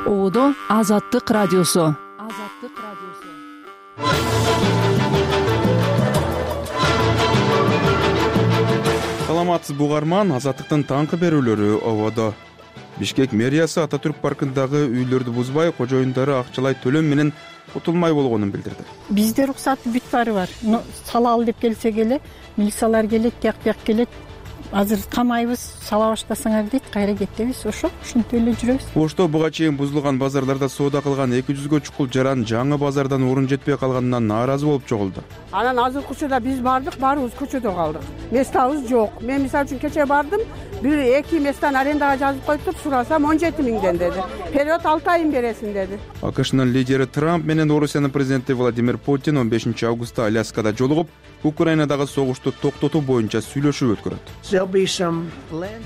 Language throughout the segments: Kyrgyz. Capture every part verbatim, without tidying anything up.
Оодо Азаттык радиосу. Азаттык радиосу. Саламатсыз бугарман, Азаттыктын таңкы берүүлөрү ободо. Бишкек мэриясы Ататүрк паркындагы үйлөрдү бузбай, кожоюндары акчалай төлөм менен утулмай болгонун билдирди. Бизде уруксаты бүт баары бар. Салалы деп келсек эле, милициялар келет, тияк бияк келет. Азыр камайбыз, сала баштасаңар дейт, кайра кетебиз. Ошо ушинтип эле жүрөбүз. Ошто буга чейин бузулган базарларда соода кылган эки жүзгө чукул жаран жаңы базардан орун жетпей калганынан нааразы болуп чогулду. Анан азыркы учурда биз бардык, баарыбыз көчөдө калдык. Местабыз жок. Мен мисалы үчүн кече бардым, бир эки местан арендага жазып коюптур, сурасам он жети миңден деди. Период алты айын бересиң деди. АКШнын лидери Трамп менен Орусиянын президенти Владимир Путин он бешинчи августта Аляскада жолугуп, Украинадагы согушту токтотуу боюнча сүйлөшүү өткөрөт.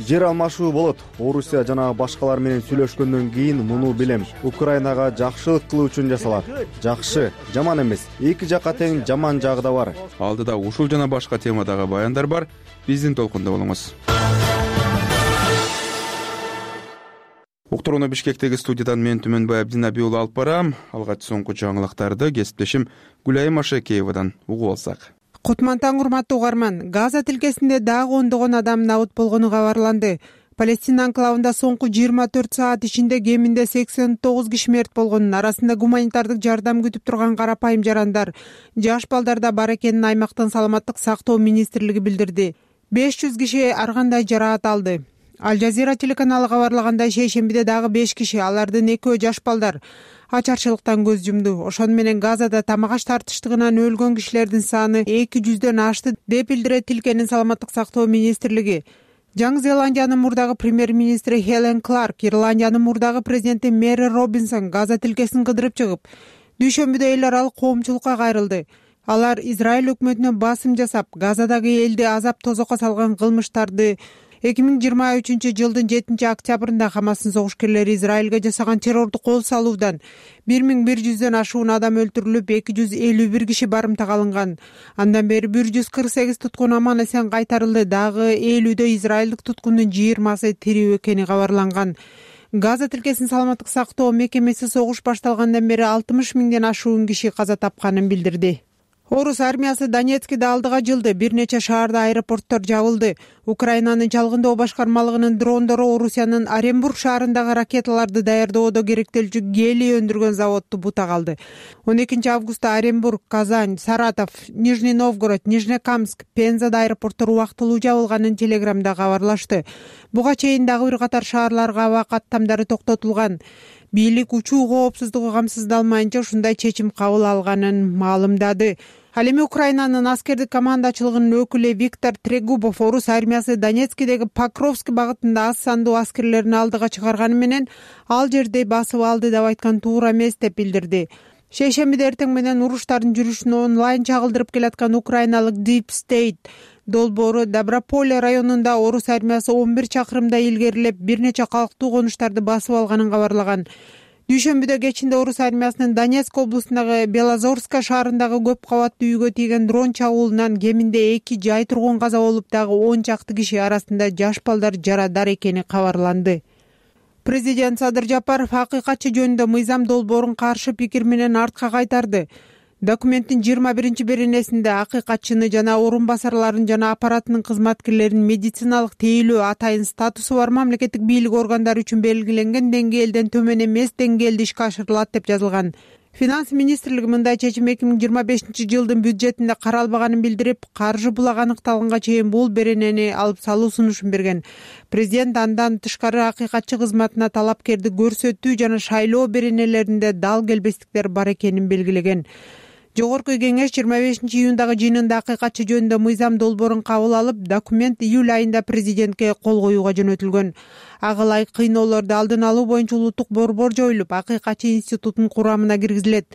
Жер алмашуу болот. Орусия жана башкалар менен сүйлөшкөндөн кийин муну билем. Украинага жакшылык кылуу үчүн жасалат. Жакшы, жаман эмес. Эки жакка тең жаман жагы да бар. Алдыда ушул жана башка темадагы баяндар бар. Биздин толкунда болуңуз. Уктурууну Бишкектеги студиядан мен Түмөнбай Абдинабий уулу алып барам. Алгач соңку жаңылыктарды кесиптешим Гүлайым Ашекеевадан угуп алсак. Кутман таң, урматтуу угарман. Газа тилкесинде дагы ондогон адам набыт болгону кабарланды. Палестина анклавында соңку жыйырма төрт саат ичинде кеминде сексен тогуз киши мерт болгонун, арасында гуманитардык жардам күтүп турган карапайым жарандар, жаш балдар да бар экенин аймактын саламаттык сактоо министрлиги билдирди. беш жүз киши ар кандай жараат алды. Аль Жазира телеканалы кабарлагандай, шейшембиде дагы беш киши, алардын экөө жаш балдар, ачарчылыктан көз жумду. Ошону менен Газада тамак аш тартыштыгынан өлгөн кишилердин саны эки жүздөн ашты деп билдирет тилкенин саламаттык сактоо министрлиги. Жаңы Зеландиянын мурдагы премьер-министри Хелен Кларк, Ирландиянын мурдагы президенти Мэри Робинсон Газа тилкесин кыдырып чыгып, дүйшөмбүдө эл аралык коомчулукка кайрылды. Алар Израиль өкмөтүнө басым жасап, Газадагы элди азап тозокко салган кылмыштарды эки миң жыйырма үчүнчү жылдын жетинчи октябрында Хамастын согуш-керлери Израилге жасаган террордук кол салуудан бир миң бир жүздөн ашуун адам өлтүрүлүп, эки жүз элүү бир киши барымтага алынган. Андан бери бир жүз кырк сегиз туткун аман эсен кайтарылды. Дагы элүүдө израилдик туткундун жыйырмасы тирүү экени кабарланган. Газа тилкесин саламаттык сактоо мекемеси согуш башталгандан бери алтымыш миңден ашуун киши каза тапканын билдирди. Орус армиясы Донецкиде алдыга жылды. Бир нече шаарда аэропорттор жабылды. Украинанын чалгындоо башкармалыгынын дрондору Орусиянын Оренбург шаарындагы ракеталарды даярдоодо керектелчү гелий өндүргөн заводду бутак алды. он экинчи августта Оренбург, Казань, Саратов, Нижний Новгород, Нижнекамск, Пензада аэропорттор убактылуу жабылганын телеграмда кабарлашты. Буга чейин дагы бир катар шаарларга аба каттамдары токтотулган. Бийлик учуу коопсуздугу камсыздалмайынча ушундай чечим кабыл алганын маалымдады. Ал эми Украинанын аскердик командачылыгынын өкүлү Виктор Трегубов Орус армиясы Донецкидеги Покровск багытында аз сандуу аскерлерин алдыга чыгарганы менен ал жерде басып алды деп айткан туура эмес деп билдирди. Шейшембиде эртең менен уруштардын жүрүшүн онлайн чагылдырып келаткан украиналык Deep State долбоору Доброполе районунда Орус армиясы он бир чакырымда илгерилеп, бир нече калктуу конуштарды басып алганын кабарлаган. Дүйшөмбүдө кечинде Орус армиясынын Донецк облусундагы Белозорска шаарындагы көп кабаттуу үйгө тийген дрон чабуулунан кеминде эки жай тургун каза болуп, дагы он чакты киши, арасында жаш балдар жарадар экени кабарланды. Президент Садыр Жапаров акыйкатчы жөнүндө мыйзам долбоорун каршы пикир менен артка кайтарды. Документтин жыйырма биринчи беренесинде акыйкатчыны жана орун басарларын жана аппаратынын кызматкерлерин медициналык тейлөө атайын статусу бар мамлекеттик бийлик органдары үчүн белгиленген деңгээлден төмөн эмес деңгээлде ишке ашырылат деп жазылган. Финанс министрлиги мындай чечим эки миң жыйырма бешинчи жылдын бюджетинде каралбаганын билдирип, каржы булак аныкталганга чейин бул беренени алып салуу сунушун берген. Президент андан тышкары акыйкатчы кызматына талапкерди көрсөтүү жана шайлоо беренелеринде дал келбестиктер бар экенин белгилеген. Жогорку кеңеш жыйырма бешинчи июндагы жыйынында акыйкатчы жөнүндө мыйзам долбоорун кабыл алып, документ июль айында президентке кол коюуга жөнөтүлгөн. Ага ылайык кыйноолорду алдын алуу боюнча улуттук борбор жоюлуп, акыйкатчы институтунун курамына киргизилет.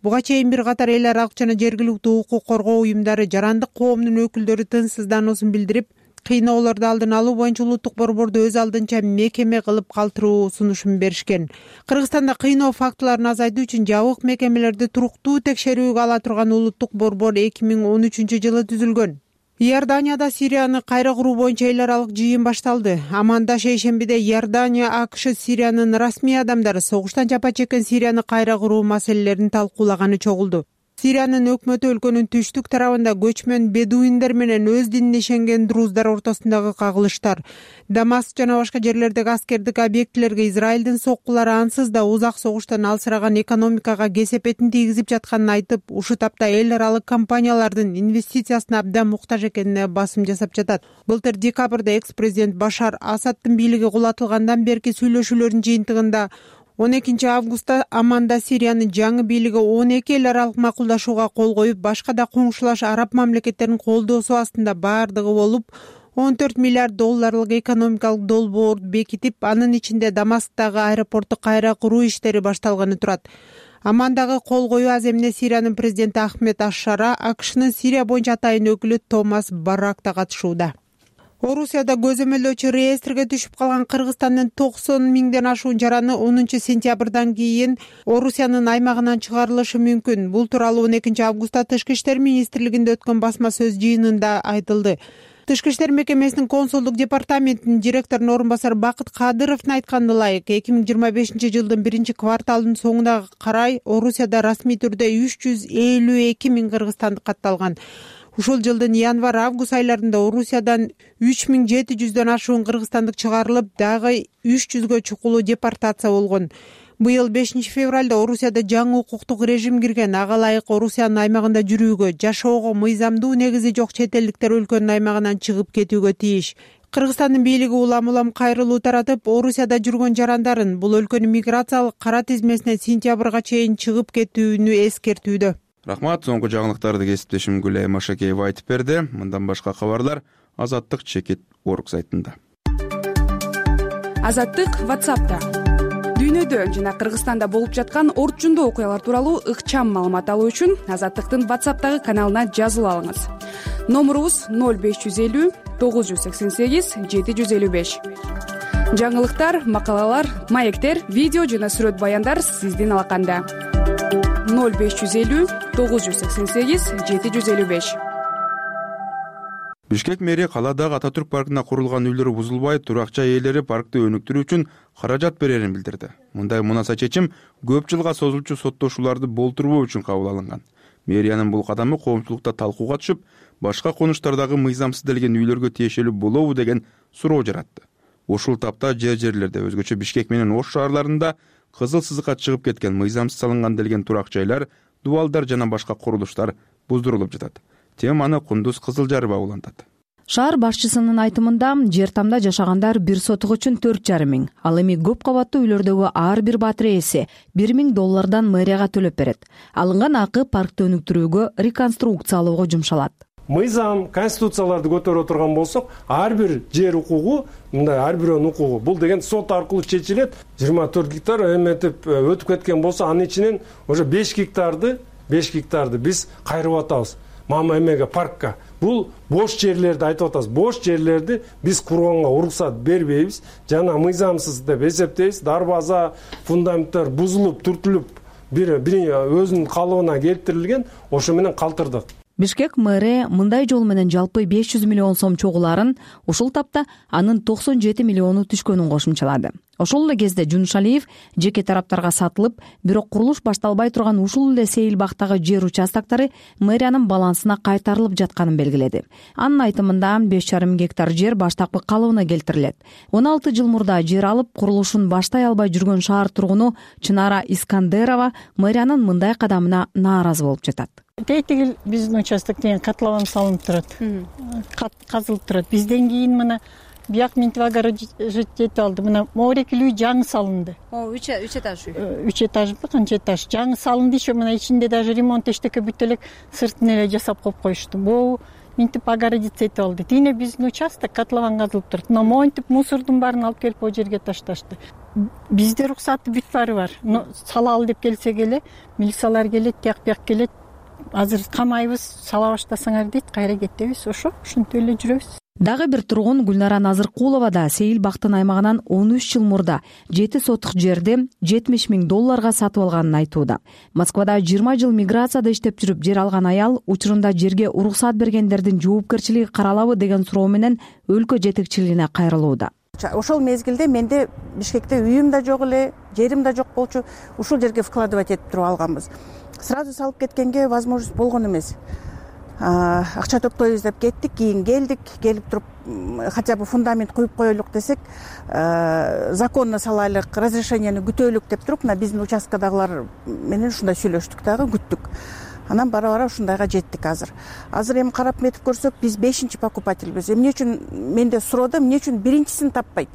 Буга чейин бир катар эл аралык жана жергиликтүү укук коргоо уюмдары жарандык коомдун өкүлдөрү тынчсыздануусун билдирип, кыйноолорду алдын алуу боюнча улуттук борборду өз алдынча мекеме кылып калтыруу сунушун беришкен. Кыргызстанда кыйноо фактыларын азайтуу үчүн жабык мекемелерди туруктуу текшерүүгө ала турган улуттук борбор эки миң он үчүнчү жылы түзүлгөн. Иорданияда Сирияны кайра куруу боюнча эл аралык жыйын башталды. Аманда шейшембиде Иордания, АКШ Сириянын расмий адамдары согуштан жапа чеккен Сирияны кайра куруу маселелерин талкуулаганы чогулду. Сириянын өкмөтү өлкөнүн түштүк тарабында көчмөн бедуиндер менен өз динине ишенген друздар ортосундагы кагылыштар, Дамаск жана башка жерлердеги аскердик объектилерге Израилдин соккулары ансыз да узак согуштан алсыраган экономикага кесепетин тийгизип жатканын айтып, ушул тапта эл аралык компаниялардын инвестициясына абдан муктаж экенине басым жасап жатат. Былтыр декабрда экс-президент Башар Асаддын бийлиги кулатылгандан берки сүйлөшүүлөрдүн жыйынтыгында он экинчи августта Аманда Сириянын жаңы бийлиги он эки эл аралык макулдашууга кол коюп, башка да коңшулаш араб мамлекеттеринин колдоосу астында баардыгы болуп он төрт миллиард долларлык экономикалык долбоорду бекитип, анын ичинде Дамасктагы аэропортту кайра куруу иштери башталганы турат. Амандагы кол коюу аземине Сириянын президенти Ахмед Аш-Шара, АКШнын Сирия боюнча атайын өкүлү Томас Барак да катышууда. Орусияда көзөмөлдөөчү реестрге түшүп калган Кыргызстандын токсон миңден ашуун жараны онунчу сентябрдан кийин Орусиянын аймагынан чыгарылышы мүмкүн. Бул тууралуу он экинчи августта Тышкы иштер министрлигинде өткөн басма сөз жыйынында айтылды. Тышкы иштер мекемесинин консулдук департаментинин директорунун орун басары Бакыт Кадыровдун айтканына ылайык, эки миң жыйырма бешинчи жылдын биринчи кварталынын соңуна карай Орусияда расмий түрдө үч жүз элүү эки миң кыргызстандык катталган. Ушул жылдын январь-август айларында Орусиядан үч миң жети жүздөн ашуун кыргызстандык чыгарылып, дагы үч жүзгө чукулуу депортация болгон. Быйыл бешинчи февралда Орусияда жаңы укуктук режим кирген. Ага ылайык Орусиянын аймагында жүрүүгө, жашоого мыйзамдуу негизи жок чет элдиктер өлкөнүн аймагынан чыгып кетүүгө тийиш. Кыргызстандын бийлиги улам-улам кайрылуу таратып, Орусияда жүргөн жарандарын бул өлкөнүн миграциялык кара тизмесине сентябрга чейин чыгып кетүүнү эскертүүдө. Рахмат, соңку жаңылыктарды кесиптешим Гүлай Машакеева айтып берди. Мындан башка кабарлар Азаттык чекит орг сайтында. Азаттык WhatsApp'та. Дүйнөдө жана Кыргызстанда болуп жаткан орчундуу окуялар тууралуу ыкчам маалымат алуу үчүн Азаттыктын WhatsApp'тагы каналына жазылып алыңыз. Номурубуз ноль беш жүз элүү тогуз жүз сексен сегиз жети жүз элүү беш. Жаңылыктар, макалалар, маектер, видео жана сүрөт баяндар сиздин алаканда. ноль беш жүз элүү тогуз жүз сексен сегиз жети жүз элүү беш. Бишкек мэри каладагы Ататүрк паркына курулган үйлөрү бузулбай, туракча ээлери паркты өнүктүрүү үчүн каражат берерин билдирди. Мындай мунаса чечим көп жылга созулчу соттошууларды болтурбоо үчүн кабыл алынган. Мэриянын бул кадамы коомчулукта талкууга түшүп, башка конуштардагы мыйзамсызделген үйлөргө тиешелүү болобу деген суроо жаратты. Ушул тапта жер жерлерде, өзгөчө Бишкек менен Ош шаарларында кызыл сызыкка чыгып кеткен мыйзамсыз салынган делген турак жайлар, дубалдар жана башка курулуштар буздурулуп жатат. Теманы Кундуз Кызылжарова улантат. Шаар башчысынын айтымында жер тамда жашагандар бир сотук үчүн төрт жарым миң, ал эми көп кабаттуу үйлөрдөгү ар бир батир ээси бир миң доллардан мэрияга төлөп берет. Алынган акы паркты өнүктүрүүгө, реконструкциялоого жумшалат. Мыйзам, конституцияларды көтөрүп отурган болсок, ар бир жер укугу, мындай ар бирөөнүн укугу, бул деген сот аркылуу чечилет. жыйырма төрт гектар эметип өтүп кеткен болсо, анын ичинен уже беш гектарды, беш гектарды биз кайрып атабыз. Мама эмеге паркка. Бул бош жерлерди айтып атабыз. Бош жерлерди биз курганга уруксат бербейбиз. Жана мыйзамсыз деп эсептейбиз. Дарбаза, фундаменттер бузулуп, түртүлүп, бир бир өзүнүн калыбына келтирилген, ошо менен калтырдык. Бишкек мэри мындай жол менен жалпы беш жүз миллион сом чогуларын, ушул тапта анын токсон жети миллиону түшкөнүн кошумчалады. Ошол эле кезде Жуншалиев жеке тараптарга сатылып, бирок курулуш башталбай турган ушул эле Сейилбактагы жер участоктары мэриянын балансына кайтарылып жатканын белгиледи. Анын айтымында беш жарым гектар жер баштапкы калыбына келтирилет. он алты жыл мурда жер алып, курулушун баштай албай жүргөн шаар тургуну Чынара Искандерова мэриянын мындай кадамына нааразы болуп жатат. Тетигил биздин участок деген котлован салынып турат. Казылып турат. Бизден кийин мына бияк Минтип огород жетип алды. Мына Моорекил үй жаңы салынды. О, үч этаж үй. үч этажбы, канча этаж. Жаңы салынды, ишо мына ичинде даже ремонт эчтеке бүтө элек сыртын эле жасап коюп коюшту. Бул Минтип огород жетип алды. Тине биздин участок котлован казылып турат. Но монтип мусордун баарын алып келип о жерге ташташты. Бизде руксаты бүт баары бар. Но салалы деп келсек эле, милициялар келет, тияк-бияк келет. Азыр камайбыз, сала баштасаңар дейт, кайра кетебиз, ошо ушинтип эле жүрөбүз. Дагы бир тургун Гүлнара Назыркулова да Сейил бактын аймагынан он үч жыл мурда жети сотук жерди жетимиш миң долларга сатып алганын айтууда. Москвада жыйырма жыл миграцияда иштеп жүрүп жер алган аял учурунда жерге уруксат бергендердин жоопкерчилиги каралабы деген суроо менен өлкө жетекчилигине кайрылууда. Ошол мезгилде менде Бишкекте үйүм да жок эле, жерим да жок болчу. Ушул жерге вкладывать этип туруп алганбыз. Сразу салып кеткенге возможность болгон эмес. Акча топтойбуз деп кеттик, кийин келдик, келип туруп хотя бы фундамент куюп коелук десек, законно салайлык, разрешениени күтөлүк деп туруп, мына биздин участкадагылар менен ушундай сүйлөштүк дагы, күттүк. Анан бара-бара ушундайга жеттик азыр. Азыр эми карап метип көрсөк, биз бешинчи покупательбиз. Эмне үчүн менде суроода, эмне үчүн биринчисин таппайт?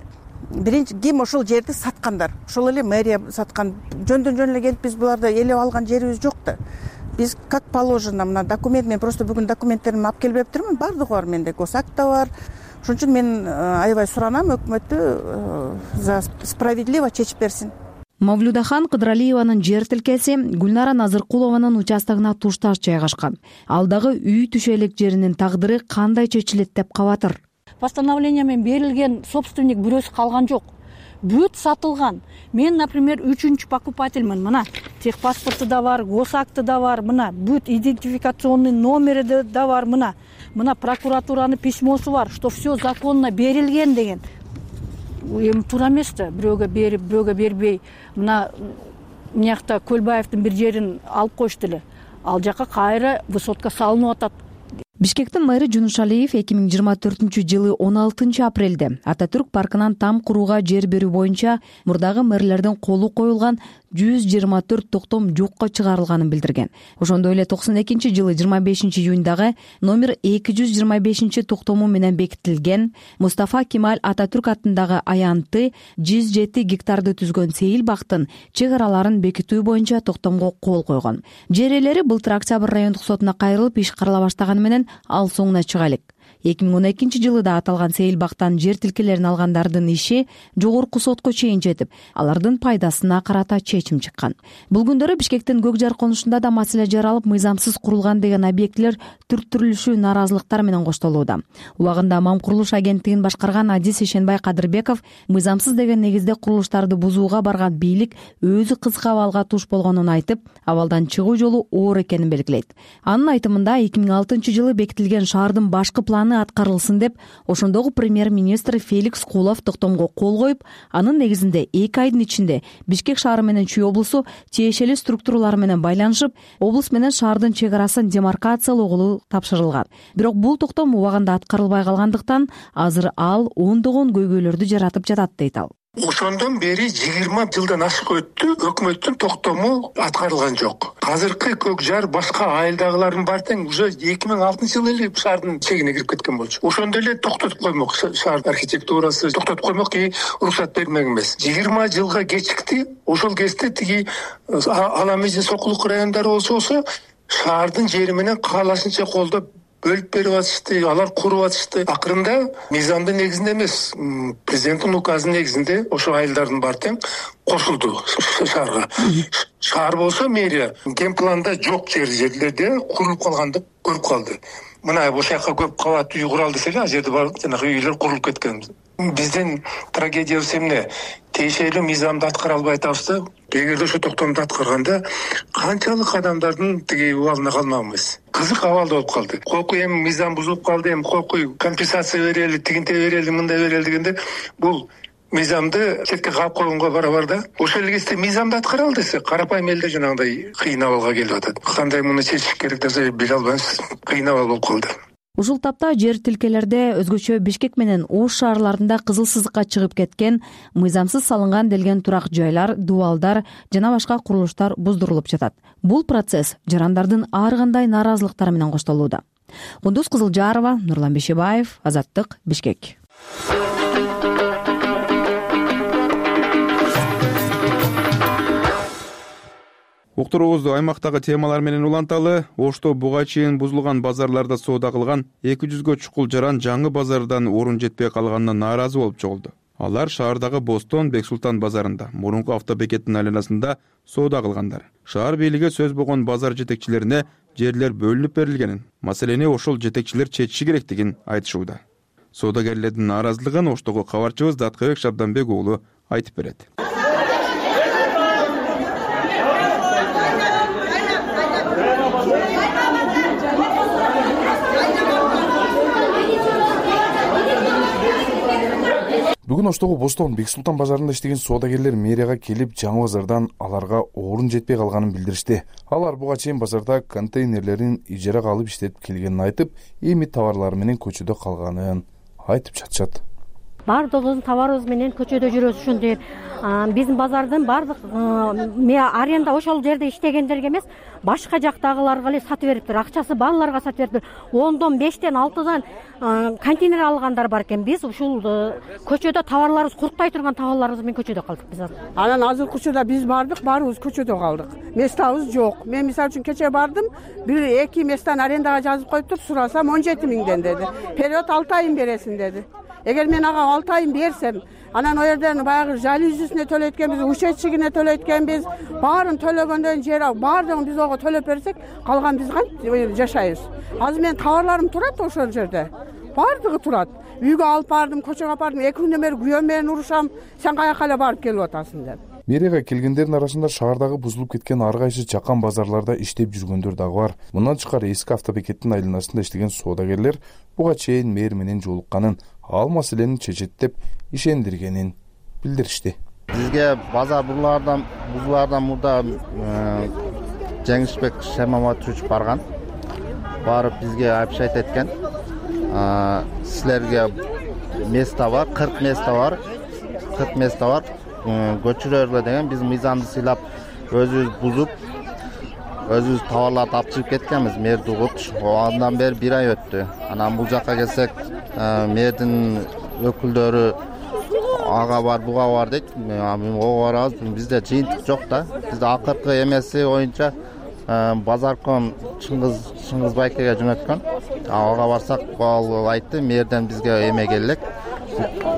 Биринчи ким ошол жерди саткандар? Ошол эле мэрия саткан. Жөндөн-жөн эле келип биз буларды элеп алган жерибиз жок да. Биз как положено, мына документ, мен просто бүгүн документтеримди алып келип бериптирмин, бардыгы бар менде, госакт да бар. Ошон үчүн мен аябай суранам өкмөттү за справедливо чечип берсин. Мавлюдахан Кыдыралиеванын жер тилкеси Гүлнара Назыркулованын участогуна тушташ жайгашкан. Ал дагы үй түшө элек жеринин тагдыры кандай чечилет деп кабатыр. Постановление менен берилген собственник бирөөсү калган жок. Бүт сатылган. Мен, например, үчүнчү покупательмин. Мына техпаспорту да бар, госакты да бар, мына бүт идентификационный номери да бар, мына. Мына прокуратуранын письмосу бар, что все законно берилген деген. Эми туура эмес да, бирөөгө берип, бирөөгө бербей. Мына мынакта Көлбаевдин бир жерин алып коюшту эле. Ал жака кайра высотка салынып атат. Бишкектин мэри Жунушалиев эки миң жыйырма төртүнчү жылы он алтынчы апрелде Ататүрк паркынан там курууга жер берүү боюнча мурдагы мэрлердин колу коюлган жүз жыйырма төрт токтом жокко чыгарылганын билдирген. Ошондой эле токсон экинчи жылы жыйырма бешинчи июньдагы номер эки жүз жыйырма бешинчи токтому менен бекитилген Мустафа Кемаль Ататүрк атындагы аянты жүз жети гектарды түзгөн Сейил бактын чек араларын бекитүү боюнча токтомго кол койгон. Жер ээлери былтыр Октябрь райондук сотуна кайрылып иш карала баштаганы менен ал соңуна чыга элек. эки миң он экинчи жылы да аталган Сейил бактан жер тилкелерин алгандардын иши жогорку сотко чейин жетип, алардын пайдасына карата чечим чыккан. Бул күндөрү Бишкектин Көк жар конушунда да маселе жаралып, мыйзамсыз курулган деген объектилер түр-түрлүшүү нааразылыктар менен коштолууда. Убагында Мам курулуш агенттигин башкарган Адис Ишенбай Кадырбеков мыйзамсыз деген негизде курулуштарды бузууга барган бийлик өзү кызык абалга туш болгонун айтып, абалдан чыгуу жолу оор экенин белгилейт. Анын айтымында эки миң алтынчы жылы бекитилген шаардын башкы планы аткарылсын деп, ошондогу премьер-министр Феликс Кулов токтомго кол коюп, анын негизинде эки айдын ичинде Бишкек шаары менен Чүй облусу тиешелүү структуралар менен байланышып, облус менен шаардын чек арасын демаркациялоого тапшырылган. Бирок бул токтом убагында аткарылбай калгандыктан азыр ал ондогон көйгөйлөрдү жаратып жатат дейт ал. Ошондон бери жыйырма жылдан ашык өттү, өкмөттүн токтому аткарылган жок. Азыркы Көк жар башка айылдагылардын баары тең уже эки миң алтынчы жылы эле шаардын чегине кирип кеткен болчу. Ошондо эле токтотуп коймок, шаар архитектурасы токтотуп коймок, ки уруксат бермек эмес. жыйырма жылга кечикти. Ошол кезде тиги Аламизин Сокулук райондору болсо, шаардын жери менен каалашынча колдоп бөлүп берип атышты, алар куруп атышты. Акырында мыйзамдын негизинде эмес, президенттин указынын негизинде ошо айылдардын баары тең кошулду шаарга. Шаар болсо мэрия генпланда жок жер жерлерде курулуп калганды көрүп калды. Мына ошол жака көп кабат үй куралы десек, ал жерде бар жанагы үйлөр курулуп кеткен. Биздин трагедиябыз эмне? Тиешелүү мыйзамды аткара албай атабыз да. Эгерде ошо токтомду аткарганда канчалык адамдардын тиги убалына калмакмыз. Кызык абалда болуп калды. Кокуй эми мыйзам бузулуп калды, эми кокуй компенсация берели, тигинте берели, мындай берели дегенде бул мыйзамды четке каап койгонго барабар да. Ошол эле кезде мыйзамды аткара ал десе, карапайым элдер жанагындай кыйын абалга келип атат. Кандай муну чечиш керек десе биле албайбыз. Кыйын абал болуп калды. Ушул тапта жер тилкелерде өзгөчө Бишкек менен Ош шаарларында кызыл сызыкка чыгып кеткен, мыйзамсыз салынган делген турак жайлар, дубалдар жана башка курулуштар буздурулуп жатат. Бул процесс жарандардын ар кандай нааразылыктары менен коштолууда. Кундуз Кызылжарова, Нурлан Бишебаев, Азаттык, Бишкек. Уктуруубузду аймактагы темалар менен уланталы. Ошто буга чейин бузулган базарларда соода кылган эки жүзгө чукул жаран жаңы базардан орун жетпей калганына нааразы болуп чогулду. Алар шаардагы Бостон Бексултан базарында, мурунку автобекеттин айланасында соода кылгандар. Шаар бийлиги сөз болгон базар жетекчилерине жерлер бөлүнүп берилгенин, маселени ошол жетекчилер чечиши керектигин айтышууда. Соодагерлердин нааразылыгын Оштогу кабарчыбыз Даткыбек Шабданбек уулу айтып берет. Бүгүн Оштогу Бостон Бексултан базарында иштеген соодагерлер мэрияга келип, жаңы базардан аларга орун жетпей калганын билдиришти. Алар буга чейин базарда контейнерлерин ижарага алып иштеп келгенин айтып, эми товарлары менен көчөдө калганын айтып жатышат. Бардыгыбыздын товарыбыз менен көчөдө жүрөбүз ошондой. Биздин базардын бардык аренда ошол жерде иштегендерге эмес, башка жактагыларга эле сатып бериптир. Акчасы балаларга сатып бериптир. ондон бештен алтыдан контейнер алгандар бар экен. Биз ушул көчөдө товарларыбыз куруктай турган товарларыбыз менен көчөдө калдык биз. Анан азыркы учурда биз бардык, баарыбыз көчөдө калдык. Местабыз жок. Мен мисалы үчүн кече бардым, бир эки месттен арендага жазып коюптур, сурасам он жети миңден деди. Период алты айын бересиң деди. Эгер мен ага алты айын берсем, анан о жерден баягы жалюзисине төлөйт экенбиз, ушетчигине төлөйт экенбиз, баарын төлөгөндөн жер баардыгын биз ого төлөп берсек, калган биз кантип жашайбыз? Азыр менин товарларым турат ошол жерде. Баардыгы турат. Үйгө алып бардым, көчөгө алып бардым, эки күндөн бери күйөөм менен урушам, сен каяка эле барып келип атасың деп. Мэрияга келгендердин арасында шаардагы бузулуп кеткен ар кайсы жакан базарларда иштеп жүргөндөр дагы бар. Мындан тышкары эски автобекеттин айланасында иштеген соодагерлер буга чейин мэр менен жолукканын, ал маселени чечет деп ишендиргенин билдиришти. Бизге базар булардан бузулардан мурда Жеңишбек Шемаматович барган. Барып бизге абшайт эткен. Силерге место бар, кырк место бар. кырк место бар. Көчүрөрлөр деген биз мыйзамды сыйлап, өзүбүз бузуп, өзүбүз товарларды алып чыгып кеткенбиз. Мэрди угутуш. Андан бери бир ай өттү. Анан бул жакка келсек, мэрдин өкүлдөрү ага бар, буга бар дейт. Ого барабыз. Бизде жыйынтык жок да. Бизде акыркы эмеси боюнча базарком Чыңгыз Чыңгыз Байкеге жөнөткөн. Ага барсак, ал айтты, мэрден бизге эме келек,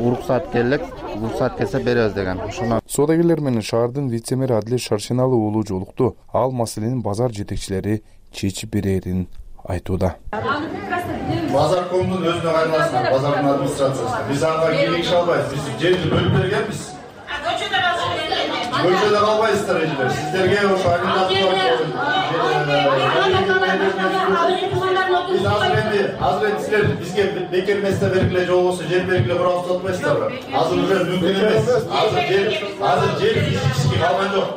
уруксат келек, уруксат келсе беребиз деген. Ошону соодагерлер менен шаардын вице-мэри Адилет Шаршеналы уулу жолукту. Ал маселенин базар жетекчилери чечип берерин айтууда. Базаркомдун өзүнө кайрыласыңар, базардын администрациясына. Биз ага кийлигише албайбыз. Биз жерди бөлүп бергенбиз. Көчөдө калбайсыздар эжелер. Сиздерге ошо арендатуулар Биз азыр энди, азыр энди силер бизге бекер место бергиле, же болбосо жер бергиле курабыз деп атпайсыздарбы? Азыр уже мүмкүн эмес. Азыр жер, азыр жер физически калган жок.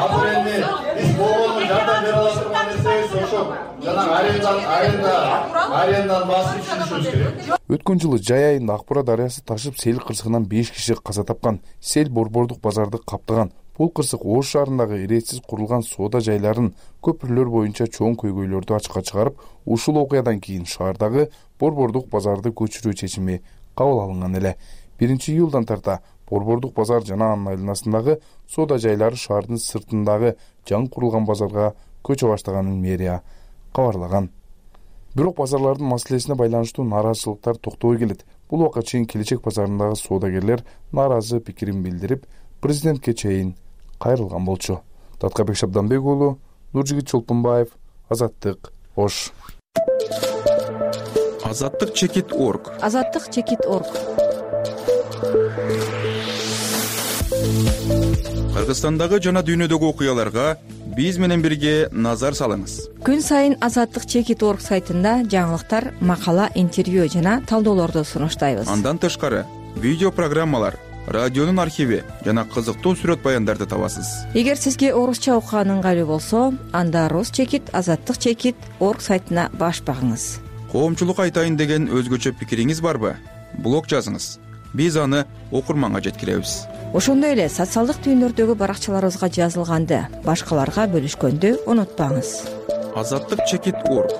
Азыр энди биз болгону жардам бере ала турган нерсебиз ошо жанагы аренда, аренда, аренданын баасын түшүнүшүбүз керек. Өткөн жылы жай айында Акбура дарыясы ташып, сел кырсыгынан беш киши каза тапкан. Сел борбордук базарды каптаган. Бул кырсык Ош шаарындагы иретсиз курулган соода жайларын, көпүрлөр боюнча чоң көйгөйлөрдү ачыкка чыгарып, ушул окуядан кийин шаардагы борбордук базарды көчүрүү чечими кабыл алынган эле. биринчи июлдан тарта борбордук базар жана анын айланасындагы соода жайлары шаардын сыртындагы жаңы курулган базарга көчө баштаганын мэрия кабарлаган. Бирок базарлардын маселесине байланыштуу нааразычылыктар токтобой келет. Бул убакка чейин Келечек базарындагы соодагерлер нааразы пикирин билдирип, президентке чейин кайрылган болчу. Даткыбек Шабданбек уулу, Нуржигит Чолпонбаев, Азаттык, Ош. Азаттык чекит точка орг. Азаттык чекит точка орг. Кыргызстандагы жана дүйнөдөгү окуяларга биз менен бирге назар салыңыз. Күн сайын Азаттык чекит точка орг сайтында жаңылыктар, макала, интервью жана талдоолорду сунуштайбыз. Андан тышкары видео программалар, радионун архиви жана кызыктуу сүрөт баяндарды табасыз. Эгер сизге орусча окуган ыңгайлуу болсо, анда Рус чекит, Азаттык чекит точка орг сайтына баш багыңыз. Коомчулук айтайын деген өзгөчө пикириңиз барбы? Блог жазыңыз. Биз аны окурманга жеткиребиз. Ошондой эле социалдык түйүндөрдөгү баракчаларыбызга жазылганды башкаларга бөлүшкөндү унутпаңыз. Азаттык чекит точка орг.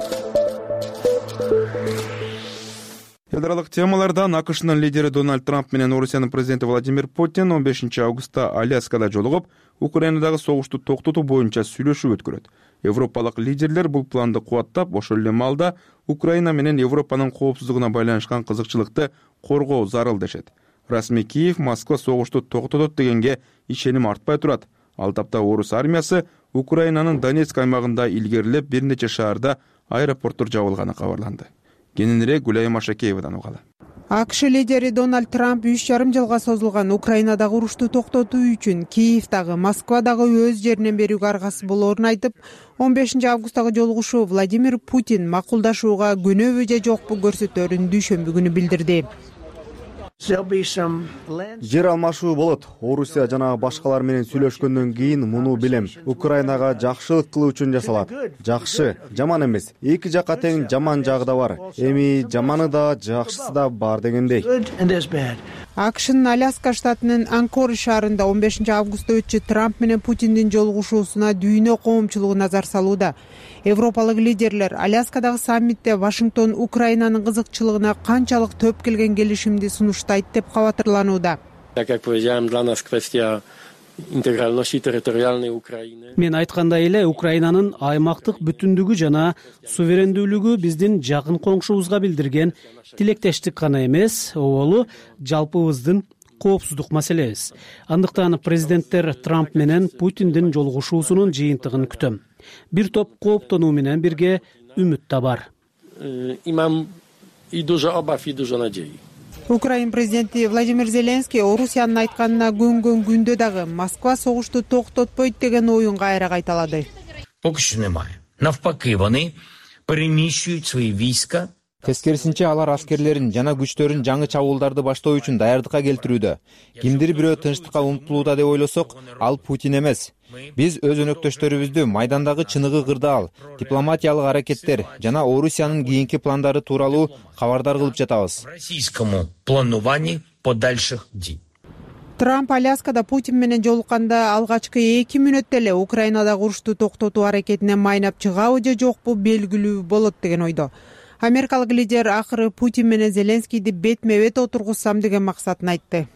Эл аралык темалардан АКШнын лидери Дональд Трамп менен Орусиянын президенти Владимир Путин он бешинчи августта Аляскада жолугуп, Украинадагы согушту токтотуу боюнча сүйлөшүү өткөрөт. Европалык лидерлер бул планды кубаттап, ошол эле маалда Украина менен Европанын коопсуздугуна байланышкан кызыкчылыкты коргоо зарыл дешет. Расмий Киев Москва согушту токтотот дегенге ишеним артпай турат. Ал тапта орус армиясы Украинанын Донецк аймагында илгерилеп бир нече шаарда аэропорттор жабылганы кабарланды. кененирээк Гүлайым Машакеевадан угалы. АКШ лидери Дональд Трамп үч жарым жылга созулган Украинадагы урушту токтотуу үчүн Киевдагы, Москвадагы өз жеринен берүүгө аргасыз болоорун айтып, он бешинчи августтагы жолугушуу Владимир Путин макулдашууга көнөбү же жокпу көрсөтөөрүн дүйшөмбү күнү билдирди. Жер алмашуу болот. Орусия жана башкалар менен сүйлөшкөндөн кийин муну билем. Украинага жакшылык кылуу үчүн жасалат. Жакшы, жаман эмес. Эки жакка тең жаман жагы да бар. Эми жаманы да, жакшысы да бар дегендей. АКШнын Аляска штатынын Анкоридж шаарында он бешинчи августта өтчү Трамп менен Путиндин жолугушуусуна дүйнө коомчулугу назар салууда. Европалык лидерлер Аляскадагы саммитте Вашингтон Украинанын кызыкчылыгына канчалык төп келген келишимди сунуштайт деп кабатырланууда. Мен айткандай эле, Украинанын аймактык бүтүндүгү жана суверендүүлүгү биздин жакын коңшубузга билдирген тилектештик гана эмес, ол жалпыбыздын коопсуздук маселебиз. Андыктан президенттер Трамп менен Путиндин жолугушуусунун жыйынтыгын күтөм. Бир топ кооптонуу менен бирге үмүт да бар. Украин президенти Владимир Зеленский Орусиянын айтканына көнгөн күндө дагы Москва согушту токтотпойт деген оюн кайра кайталады. Поки що немає. Навпаки, вони переміщують свої війська. Тескерисинче алар аскерлерин жана күчтөрүн жаңы чабуулдарды баштоо үчүн даярдыкка келтирүүдө. Кимдир бирөө тынчтыкка умтулууда деп ойлосок, ал Путин эмес. Биз өз өнөктөштөрүбүздү майдандагы чыныгы кырдаал, дипломатиялык аракеттер жана Орусиянын кийинки пландары тууралуу кабардар кылып жатабыз. Російському плануванні подальших дій. Трамп Аляскада Путин менен жолукканда алгачкы эки мүнөттө эле Украинадагы урушту токтотуу аракетине майнап чыгабы же жокпу белгилүү болот деген ойдо. Америкалык лидер акыры Путин менен Зеленскийди бетме-бет отургузсам деген максатын айтты.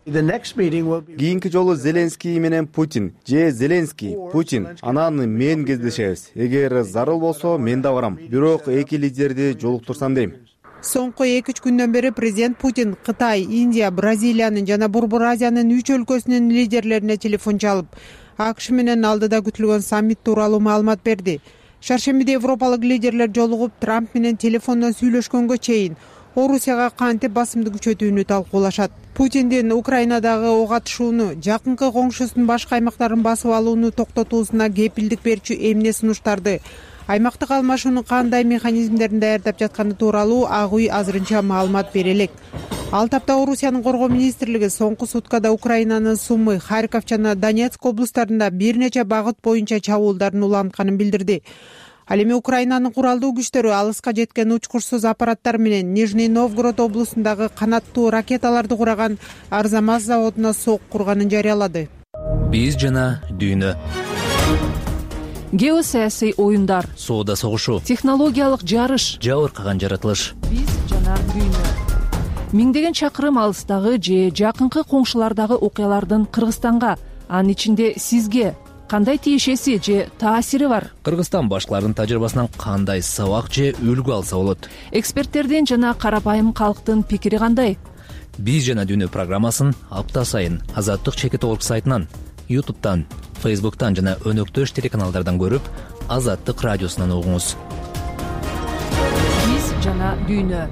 Кийинки жолу Зеленский менен Путин же Зеленский, Путин, анан мен кездешебиз. Эгер зарыл болсо, мен да барам. Бирок эки лидерди жолуктурсам дейм. Соңку эки үч күндөн бери президент Путин Кытай, Индия, Бразилиянын жана Борбор Азиянын үч өлкөсүнүн лидерлерине телефон чалып, АКШ менен алдыда күтүлгөн саммит тууралуу маалымат берди. Шаршембиде европалык лидерлер жолугуп Трамп менен телефондон сүйлөшкөнгө чейин Орусияга кантип басымды күчөтүүнү талкуулашат. Путиндин Украинадагы ок атышууну, жакынкы коңшусунун башка аймактарын басып алууну токтотуусуна кепилдик берчү эмне сунуштарды, аймактык алмашуунун кандай механизмдерин даярдап жатканы тууралуу Ак үй азырынча маалымат бере элек. Ал тапта Орусиянын коргоо министрлиги соңку суткада Украинанын Сумы, Харьков жана Донецк облустарында бир нече багыт боюнча чабуулдарын улантканын билдирди. Ал эми Украинанын куралдуу күчтөрү алыска жеткен учкурсуз аппараттар менен Нижний Новгород облусундагы канаттуу ракеталарды кураган Арзамас заводуна сок курганын жарыялады. Биз жана дүйнө. Геосаясий оюндар, соода согушу, технологиялык жарыш, жабыркаган жаратылыш. Биз жана дүйнө. Миңдеген чакырым алыстагы же жакынкы коңшулардагы окуялардын Кыргызстанга, анын ичинде сизге кандай тиешеси же таасири бар? Кыргызстан башкаларынын тажрыйбасынан кандай сабак же үлгү алса болот? Эксперттердин жана карапайым калктын пикири кандай? Биз жана дүйнө программасын апта сайын Азаттык чекит орг сайтынан, ютубтан, фейсбуктан жана өнөктөш телеканалдардан көрүп, Азаттык радиосунан угуңуз. Биз жана дүйнө.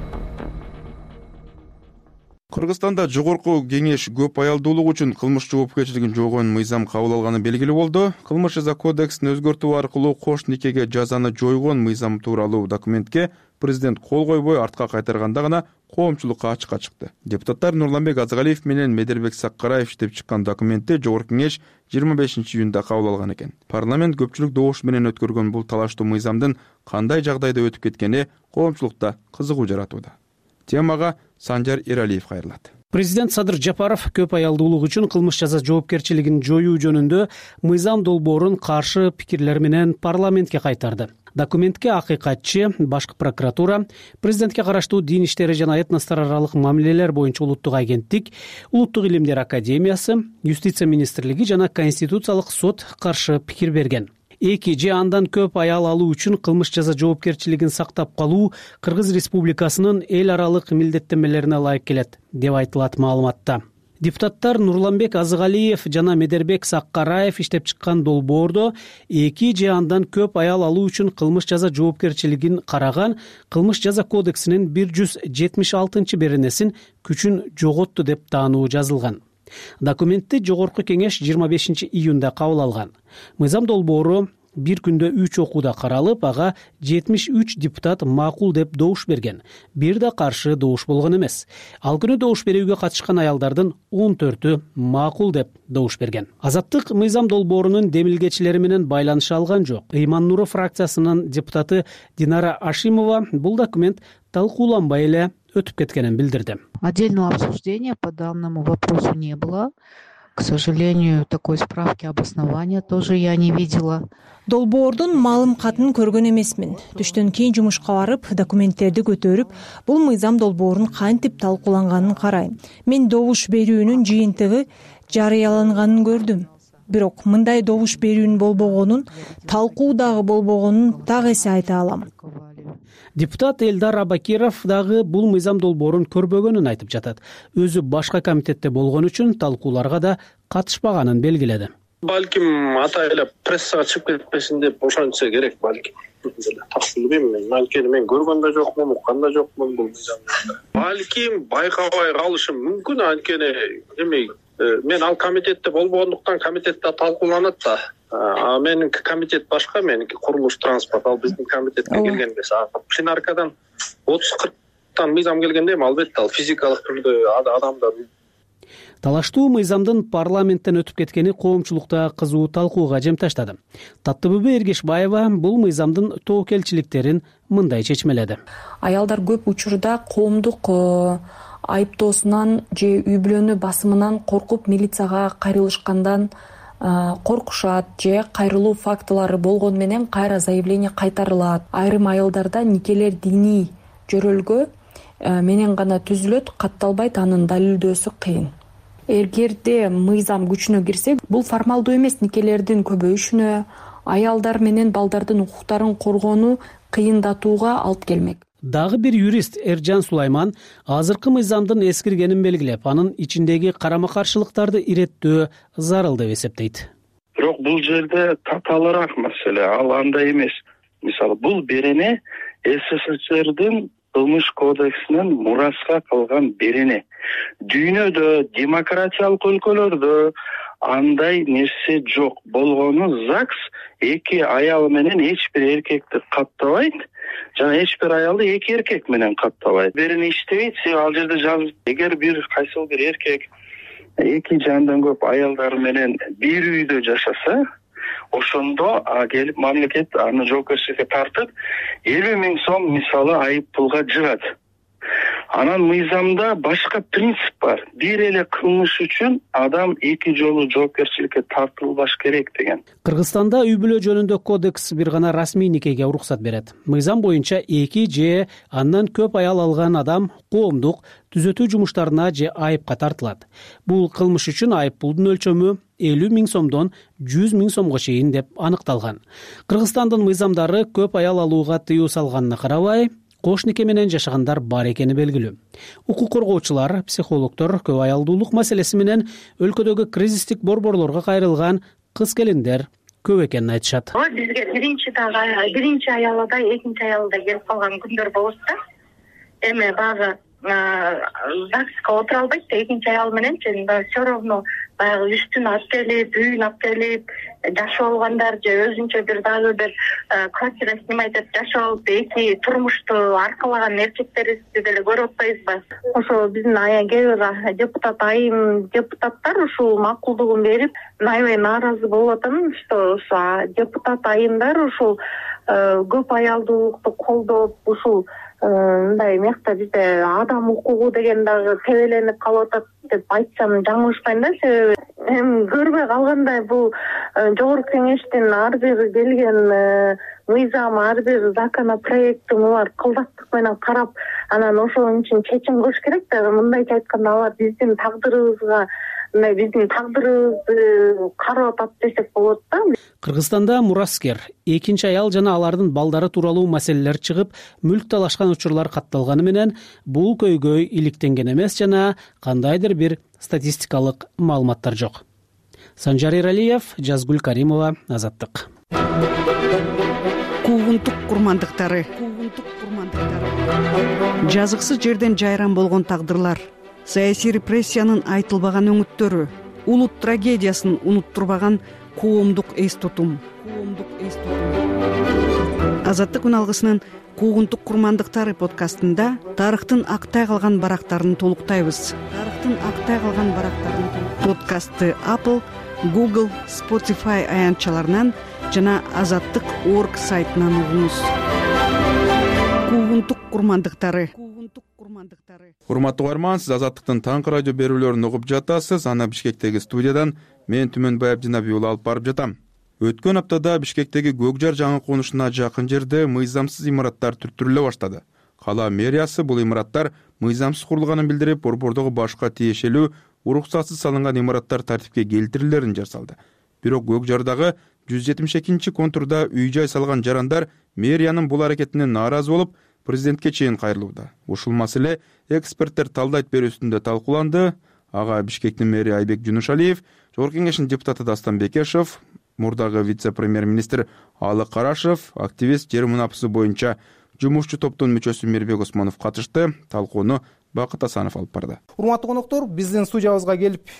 Кыргызстанда жогорку кеңеш көп аялдуулук үчүн кылмыш жоопкерчилигин жойгон мыйзам кабыл алганы белгилүү болду. Кылмыш жаза кодексин өзгөртүү аркылуу кош никеге жазаны жойгон мыйзам тууралуу документке президент кол койбой артка кайтарганда гана коомчулукка ачыкка чыкты. Депутаттар Нурланбек Азгалиев менен Медербек Саккараев иштеп чыккан документти жогорку кеңеш жыйырма бешинчи июнда кабыл алган экен. Парламент көпчүлүк добуш менен өткөргөн бул талаштуу мыйзамдын кандай жагдайда өтүп кеткени коомчулукта кызыгуу жаратууда. Темага Санжар Эралиев кайрылат. Президент Садыр Жапаров көп аялдуулук үчүн кылмыш жаза жоопкерчилигин жоюу жөнүндө мыйзам долбоорун каршы пикирлер менен парламентке кайтарды. Документке акыйкатчы, башкы прокуратура, президентке караштуу дин иштери жана этностор аралык мамилелер боюнча улуттук агенттик, Улуттук илимдер академиясы, Юстиция министрлиги жана Конституциялык сот каршы пикир берген. Эки же андан көп аял алуу үчүн кылмыш жаза жоопкерчилигин сактап калуу Кыргыз Республикасынын эл аралык милдеттенмелерине ылайык келет, деп айтылат маалыматта. Депутаттар Нурланбек Азыгалиев жана Медербек Саккараев иштеп чыккан долбоордо эки же андан көп аял алуу үчүн кылмыш жаза жоопкерчилигин караган кылмыш жаза кодексинин бир жүз жетимиш алтынчы беренесин күчүн жоготту деп таануу жазылган. Документти Жогорку кеңеш жыйырма бешинчи июнда кабыл алган. Мыйзам долбоору бир күндө үч окууда каралып, ага жетимиш үч депутат макул деп добуш берген. Бир да каршы добуш болгон эмес. Ал күнү добуш берүүгө катышкан аялдардын он төртү макул деп добуш берген. Азаттык мыйзам долбоорунун демилгечилери менен байланыша алган жок. Ыйман Нуров фракциясынын депутаты Динара Ашимова бул документ талкууланбай эле өтүп кеткенин билдирди. Отдельного обсуждения по данному вопросу не было. К сожалению, такой справки обоснования тоже я не видела. Долбоордун маалым катын көргөн эмесмин. Түштөн кийин жумушка барып, документтерди көтөрүп, бул мыйзам долбоорун кантип талкууланганын карайм. Мен добуш берүүнүн жыйынтыгы жарыяланганын көрдүм. Бирок мындай добуш берүүнүн болбогонун, талкуу дагы болбогонун так эсе айта алам. Депутат Элдар Абакиров дагы бул мыйзам долбоорун көрбөгөнүн айтып жатат. Өзү башка комитетте болгон үчүн талкууларга да катышпаганын белгиледи. Балким ата эле прессага чыгып кетпесин деп ошончо керек балким. Так билбейм, анткени мен көргөн да жокмун, уккан да жокмун бул мыйзамды. Балким байкабай калышым мүмкүн, анткени эме мен ал комитетте болбогондуктан комитетте талкууланат да. А меники комитет башка, меники курулуш транспорт, ал биздин комитетке келген эмес. Пленаркадан отуз кырктан мыйзам келгенде эми албетте ал физикалык түрдө адамдар. Талаштуу мыйзамдын парламенттен өтүп кеткени коомчулукта кызуу талкууга жем таштады. Таттыбүбү Эргешбаева бул мыйзамдын тобокелчиликтерин мындай чечмеледи. Аялдар көп учурда коомдук айыптоосунан же үй бүлөнү басымынан коркуп милицияга кайрылышкандан коркушат же кайрылуу фактылары болгону менен кайра заявление кайтарылат. Айрым аялдарда никелер диний жөрөлгө менен гана түзүлөт, катталбайт, анын далилдөөсү кыйын. Эгерде мыйзам күчүнө кирсе, бул формалдуу эмес никелердин көбөйүшүнө, аялдар менен балдардын укуктарын коргоону кыйындатууга алып келмек. Дагы бир юрист Эржан Сулайман азыркы мыйзамдын эскиргенин белгилеп, анын ичиндеги карама-каршылыктарды иреттөө зарыл деп эсептейт. Бирок бул жерде татаалыраак маселе, ал андай эмес. Мисалы, бул берене СССРдин кылмыш кодексинен мураска калган берене. Дүйнөдө, демократиялык өлкөлөрдө андай нерсе жок. Болгону ЗАГС эки аял менен эч бир эркекти каттабайт, жана эч бир аялды эки эркек менен каттабайт. Берене иштебейт, ал жерде жазылып, эгер бир кайсыл бир эркек эки же андан көп аялдар менен бир үйдө жашаса, ошондо келип мамлекет аны жоопкерчиликке тартып элүү миң сом мисалы айып пулга жыгат. Анан мыйзамда башка принцип бар. Бир эле кылмыш үчүн адам эки жолу жоопкерчиликке тартылбаш керек деген. Кыргызстанда үй бүлө жөнүндө кодекс бир гана расмий никеге уруксат берет. Мыйзам боюнча эки же андан көп аял алган адам коомдук түзөтүү жумуштарына же айыпка тартылат. Бул кылмыш үчүн айып пулдун өлчөмү элүү миң сомдон жүз миң сомго чейин деп аныкталган. Кыргызстандын мыйзамдары көп аял алууга тыюу салганына карабай, кош нике менен жашагандар бар экени белгилүү. Укук коргоочулар, психологдор көп аялдуулук маселеси менен өлкөдөгү кризистик борборлорго кайрылган кыз-келиндер көп экенин айтышат. Бизге биринчи дагы биринчи аялда, экинчи аялда келип калган күндөр болот да. Эми багы ЗАГСка отура албайт да, экинчи аял менен все равно баягы үстүн алып келип, үйүн алып келип жашап алгандар же өзүнчө бир дагы бир квартира снимать этип жашап алып эки турмушту аркалаган эркектерибизди деле көрүп атпайбызбы? Ошо биздин кээ бир депутат айым депутаттар ушул макулдугун берип, аябай нааразы болуп атам, что депутат айымдар ушул көп аялдуулукту колдоп, ушул мындай мекта бизде адам укугу деген дагы тебеленип калып атат деп айтсам жаңылышпайм да, себеби эми көрбөй калгандай бул жогорку кеңештин ар бир келген мыйзам, ар бир законопроекти булар кылдаттык менен карап, анан ошон үчүн чечим кылыш керек да. Мындайча айтканда алар биздин тагдырыбызга эме биздин тагдырыбызды карап атат десек болот да. Кыргызстанда мураскер, экинчи аял жана алардын балдары тууралуу маселелер чыгып, мүлк талашкан учурлар катталганы менен бул көйгөй иликтенген эмес жана кандайдыр бир статистикалык маалыматтар жок. Санжар Эралиев, Жазгүл Каримова, Азаттык. Куугунтук курмандыктары. Жазыксыз жерден жайран болгон тагдырлар, саясий репрессиянын айтылбаган өңүттөрү, улут трагедиясын унуттурбаган коомдук эс тутум. Азаттык күн алгысынын Куугунтук курмандыктары подкастында тарыхтын актай калган барактарын толуктайбыз. Тарыхтын актай калган барактарын подкастты Apple, Google, Spotify аянтчаларынан жана азаттык точка орг сайтынан угуңуз. Куугунтук курмандыктары. Урматтуу угарман, сиз Азаттыктын таңкы радио берүүлөрүн угуп жатасыз. Аны Бишкектеги студиядан мен Түмөнбай Абдинабий уулу алып барып жатам. Өткөн аптада Бишкектеги Көкжар жаңы конушуна жакын жерде мыйзамсыз имараттар түртүрүлө баштады. Кала мэриясы бул имараттар мыйзамсыз курулганын билдирип, борбордогу башка тиешелүү уруксатсыз салынган имараттар тартипке келтирилерин жар салды. Бирок Көкжардагы жүз жетимиш экинчи контурда үй-жай салган жарандар мэриянын бул аракетинен нааразы болуп, президентке чейин кайрылууда. Ушул маселе эксперттер талдайт берүүсүндө талкууланды. Ага Бишкектин мэри Айбек Жунушалиев, Жогорку Кеңештин депутаты Дастан Бекешев, мурдагы вице-премьер-министр Алы Карашев, активист жер мунапысы боюнча жумушчу топтун мүчөсү Мирбек Осмонов катышты. Талкууну Бакыт Асанов алып барды. Урматтуу коноктор, биздин студиябызга келип,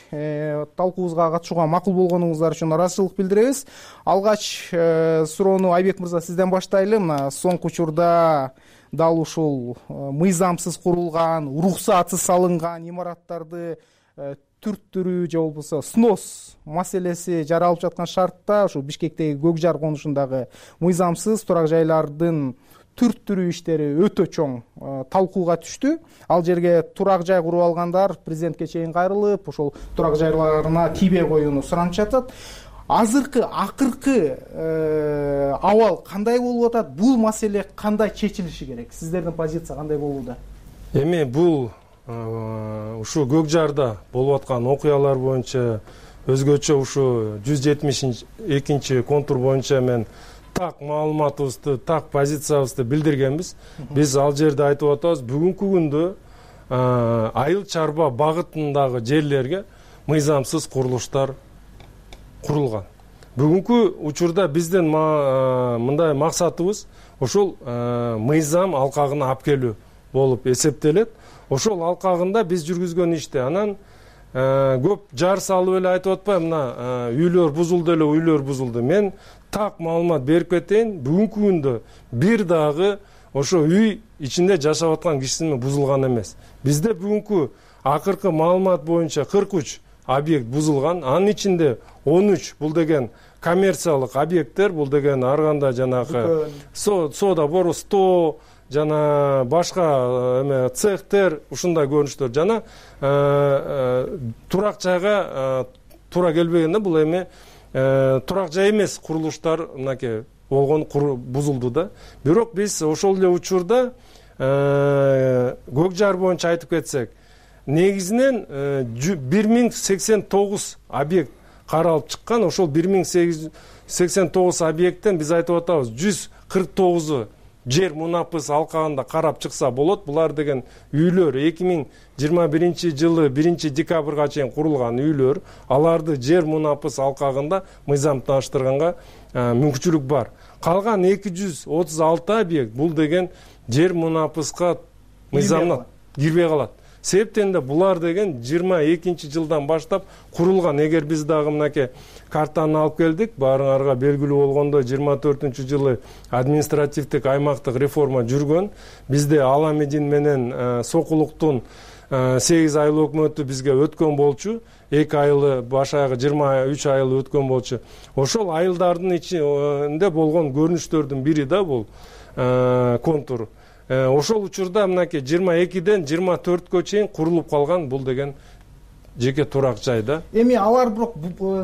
талкуубузга катышууга макул болгонуңуздар үчүн ыраазычылык билдиребиз. Алгач суроону Айбек мырза сизден баштайлы. Мына соңку учурда дал ушул мыйзамсыз курулган, уруксатсыз салынган имараттарды түрттүрүү же болбосо снос маселеси жаралып жаткан шартта ушу Бишкектеги Көкжар конушундагы мыйзамсыз турак жайлардын түрттүрүү иштери өтө чоң талкууга түштү. Ал жерге турак жай куруп алгандар президентке чейин кайрылып, ошол турак жайларына тийбей коюуну суранып жатат. Азыркы акыркы абал кандай болуп атат? Бул маселе кандай чечилиши керек? Сиздердин позиция кандай болууда? Эми бул ушу Көкжарда болуп аткан окуялар боюнча өзгөчө ушу жүз жетимиш экинчи контур боюнча мен так маалыматыбызды, так позициябызды билдиргенбиз. Биз ал жерде айтып атабыз, бүгүнкү күндө айыл чарба багытындагы жерлерге мыйзамсыз курулуштар курулган. Бүгүнкү учурда биздин мындай максатыбыз ошол мыйзам алкагына алып келүү болуп эсептелет. Ошол алкагында биз жүргүзгөн иште анан көп жар салып эле айтып атпайм, мына үйлөр бузулду эле, үйлөр бузулду. Мен так маалымат берип кетейин. Бүгүнкү күндө бир дагы ошо үй ичинде жашап аткан кишинин бузулган эмес. Бизде бүгүнкү акыркы маалымат боюнча кырк үч объект бузулган. Анын ичинде он үч бул деген коммерциялык объекттер, бул деген ар кандай жанагы соода бору сто жана башка эме цехтер, ушундай көрүнүштөр жана турак жайга туура келбегенде бул эми турак жай эмес курулуштар мынакей болгон бузулду да. Бирок биз ошол эле учурда Көкжар боюнча айтып кетсек, негизинен бир миң сексен тогуз объект каралып чыккан. Ошол бир миң сексен тогуз объекттен биз айтып атабыз, жүз кырк тогузу жер мунапыс алкагында карап чыкса болот. Булар деген үйлөр эки миң жыйырма биринчи жылы биринчи декабрга чейин курулган үйлөр. Аларды жер мунапыс алкагында мыйзамдаштырганга мүмкүнчүлүк бар. Калган эки жүз отуз алты объект бул деген жер мунапыска мыйзамдан кирбей калат. Себептен да булар деген жыйырма экинчи жылдан баштап курулган. Эгер биз дагы мынакей картаны алып келдик, баарыңарга белгилүү болгондой жыйырма төртүнчү жылы административдик аймактык реформа жүргөн. Бизде Аламедин менен Сокулуктун сегиз айыл өкмөтү бизге өткөн болчу. эки айылы баш аягы жыйырма үч айыл өткөн болчу. Ошол айылдардын ичинде болгон көрүнүштөрдүн бири да бул контур. Ошол учурда мынакей жыйырма экиден жыйырма төрткө чейин курулуп калган бул деген жеке турак жай да. Эми алар бирок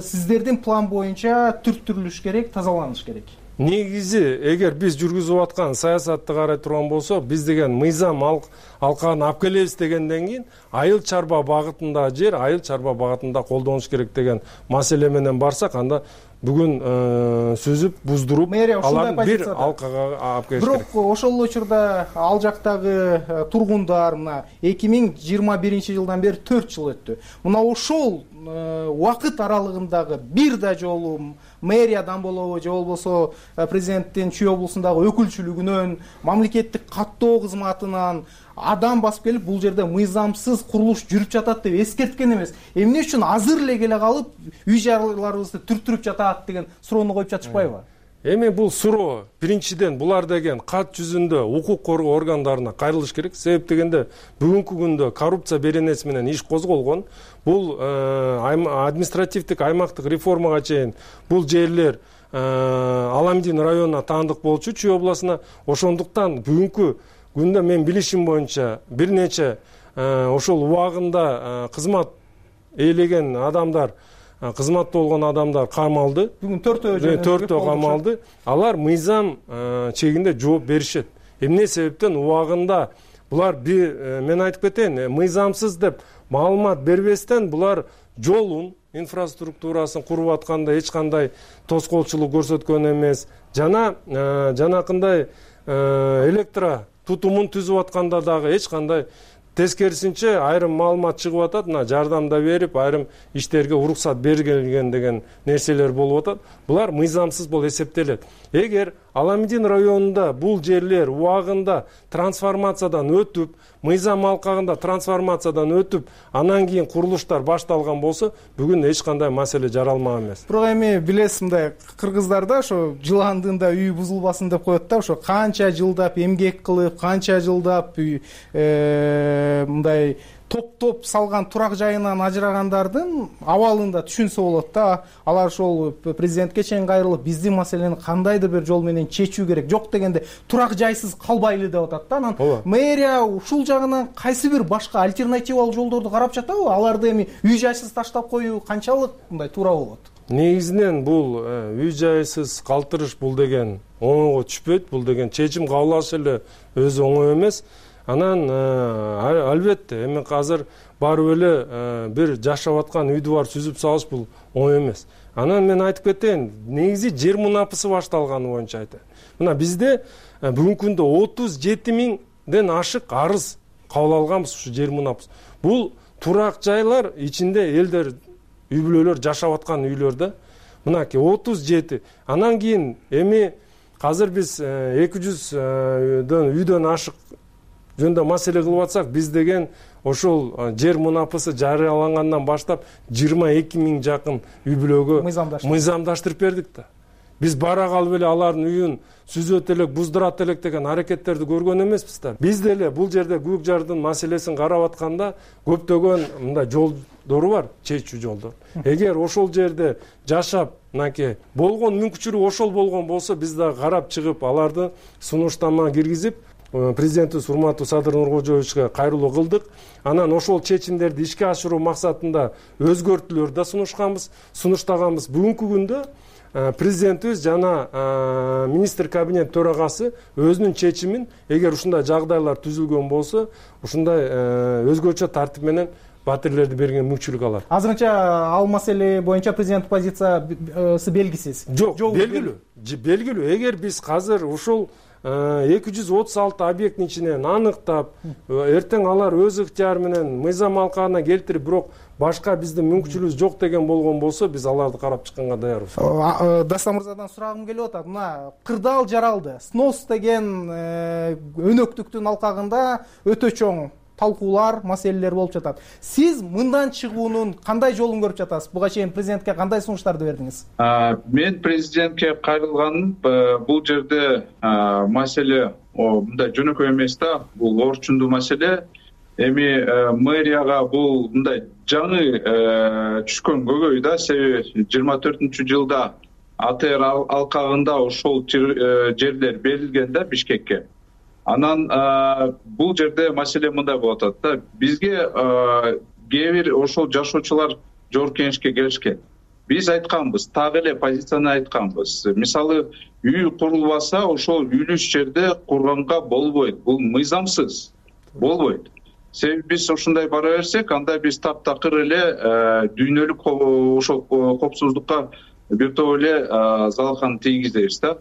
сиздердин план боюнча түрттүрүлүш керек, тазаланыш керек. негизи эгер биз жүргүзүп аткан саясатты карай турган болсок, биз деген мыйзам алкагын алып келебиз дегенден кийин айыл чарба багытында жер, айыл чарба багытында колдонуш керек деген маселе менен барсак, анда бүгүн сүзүп, буздуруп аларды бир алкага алып келиш керек. Бирок ошол эле учурда ал жактагы тургундар мына эки миң жыйырма биринчи жылдан бери төрт жыл өттү. Мына ошол убакыт аралыгындагы бир да жолу мэриядан болобу же болбосо президенттин Чүй облусундагы өкүлчүлүгүнөн, мамлекеттик каттоо кызматынан адам басып келип бул жерде мыйзамсыз курулуш жүрүп жатат деп эскерткен эмес. Эмне үчүн азыр эле келе калып үй жайларыбызды түрттүрүп жатат деген суроону коюп жатышпайбы? Эми бул суроо биринчиден булар деген кат жүзүндө укук коргоо органдарына кайрылыш керек. Себеп дегенде бүгүнкү күндө коррупция беренеси менен иш козголгон. Бул административдик аймактык реформага чейин бул жерлер Аламдин районуна таандык болчу, Чүй областына. Ошондуктан бүгүнкү күндө мен билишим боюнча бир нече ошол убагында кызмат ээлеген адамдар, кызматта болгон адамдар камалды. Бүгүн төртөө төртөө камалды. Алар мыйзам чегинде жооп беришет. Эмне себептен убагында булар мен айтып кетейин, мыйзамсыз деп маалымат бербестен булар жолун, инфраструктурасын куруп атканда эч кандай тоскоолчулук көрсөткөн эмес. Жана жанакындай электро тутумун түзүп атканда дагы эч кандай, тескерисинче айрым маалымат чыгып атат, мына жардамда берип, айрым иштерге уруксат бергилген деген нерселер болуп атат. Булар мыйзамсыз болуп эсептелет. Эгер Аламдин районунда бул жерлер убагында трансформациядан өтүп, мыйзам алкагында трансформациядан өтүп, анан кийин курулуштар башталган болсо, бүгүн эч кандай маселе жаралмак эмес. Бирок эми билесиз, мындай кыргыздарда ошо жыландыында үй бузулбасын деп коет да, ошо канча жылдап эмгек кылып, канча жылдап мындай топ-топ салган турак жайынан ажырагандардын абалында түшүнсө болот да. Алар ошол президентке чейин кайрылып, биздин маселени кандайдыр бир жол менен чечүү керек. Жок дегенде турак жайсыз калбайлы деп атат да. Анан мэрия ушул жагынан кайсы бир башка альтернативалык жолдорду карап жатабы? Аларды эми үй жайсыз таштап коюу канчалык мындай туура болот? Негизинен бул үй жайсыз калтырыш бул деген оңойго түшпөйт. Бул деген чечим кабыл алыш эле өзү оңой эмес. Анан албетте эми азыр барып эле бир жашап аткан үйдү бар сүзүп салыш бул оңой эмес. Анан мен айтып кетейин, негизи жер мунапысы башталганы боюнча айтайын. Мына бизде бүгүнкү күндө отуз жети миңден ашык арыз кабыл алганбыз ушу жер мунапысы. Бул турак жайлар ичинде элдер, үй бүлөлөр жашап аткан үйлөрдө. Мынакей отуз жети. Анан кийин эми азыр биз эки жүздөн үйдөн ашык жөнүндө маселе кылып атсак, биз деген ошол жер мунапысы жарыялангандан баштап жыйырма эки миң жакын үй бүлөгө мыйзамдаштырып бердик да. Биз бара калып эле алардын үйүн сүзөт элек, буздурат элек деген аракеттерди көргөн эмеспиз да. Биз деле бул жерде көк жардын маселесин карап атканда көптөгөн мындай жолдору бар, чечүү жолдор. Эгер ошол жерде жашап, мынакей болгон мүмкүнчүлүгү ошол болгон болсо, биз дагы карап чыгып, аларды сунуштама киргизип, президентибиз урматтуу Садыр Нуркожоевичке кайрылуу кылдык. Анан ошол чечимдерди ишке ашыруу максатында өзгөртүүлөр да сунушканбыз, сунуштаганбыз. Бүгүнкү күндө президентибиз жана министр кабинет төрагасы өзүнүн чечимин, эгер ушундай жагдайлар түзүлгөн болсо, ушундай өзгөчө тартип менен батирлерди берген мүмкүнчүлүк алат. Азырынча ал маселе боюнча президент позициясы белгисиз. Жок, белгилүү. Белгилүү. Эгер биз азыр ушул эки жүз отуз алты объекттин ичинен аныктап, эртең алар өз ыктыяры менен мыйзам алкагына келтирип, бирок башка биздин мүмкүнчүлүгүбүз жок деген болгон болсо, биз аларды карап чыкканга даярбыз. Дастан мырзадан сурагым келип атат. Мына кырдаал жаралды. Снос деген өнөктүктүн алкагында өтө чоң талкуулар, маселелер болуп жатат. Сиз мындан чыгуунун кандай жолун көрүп жатасыз? Буга чейин президентке кандай сунуштарды бердиңиз? Мен президентке кайрылганым бул жерде маселе мындай жөнөкөй эмес да, бул орчундуу маселе. Эми мэрияга бул мындай жаңы түшкөн көйгөй да, себеби жыйырма төртүнчү жылда АТР алкагында ошол жерлер берилген да Бишкекке. Анан бул жерде маселе мындай болуп атат да, бизге кээ бир ошол жашоочулар жогорку кеңешке келишкен. биз айтканбыз, так эле позицияны айтканбыз. Мисалы, үй курулбаса, ошол үйлүш жерде курганга болбойт. Бул мыйзамсыз. Болбойт. Себеби биз ушундай бара берсек, анда биз таптакыр эле дүйнөлүк ошол коопсуздукка бир топ эле залалхан тийгизебиз да.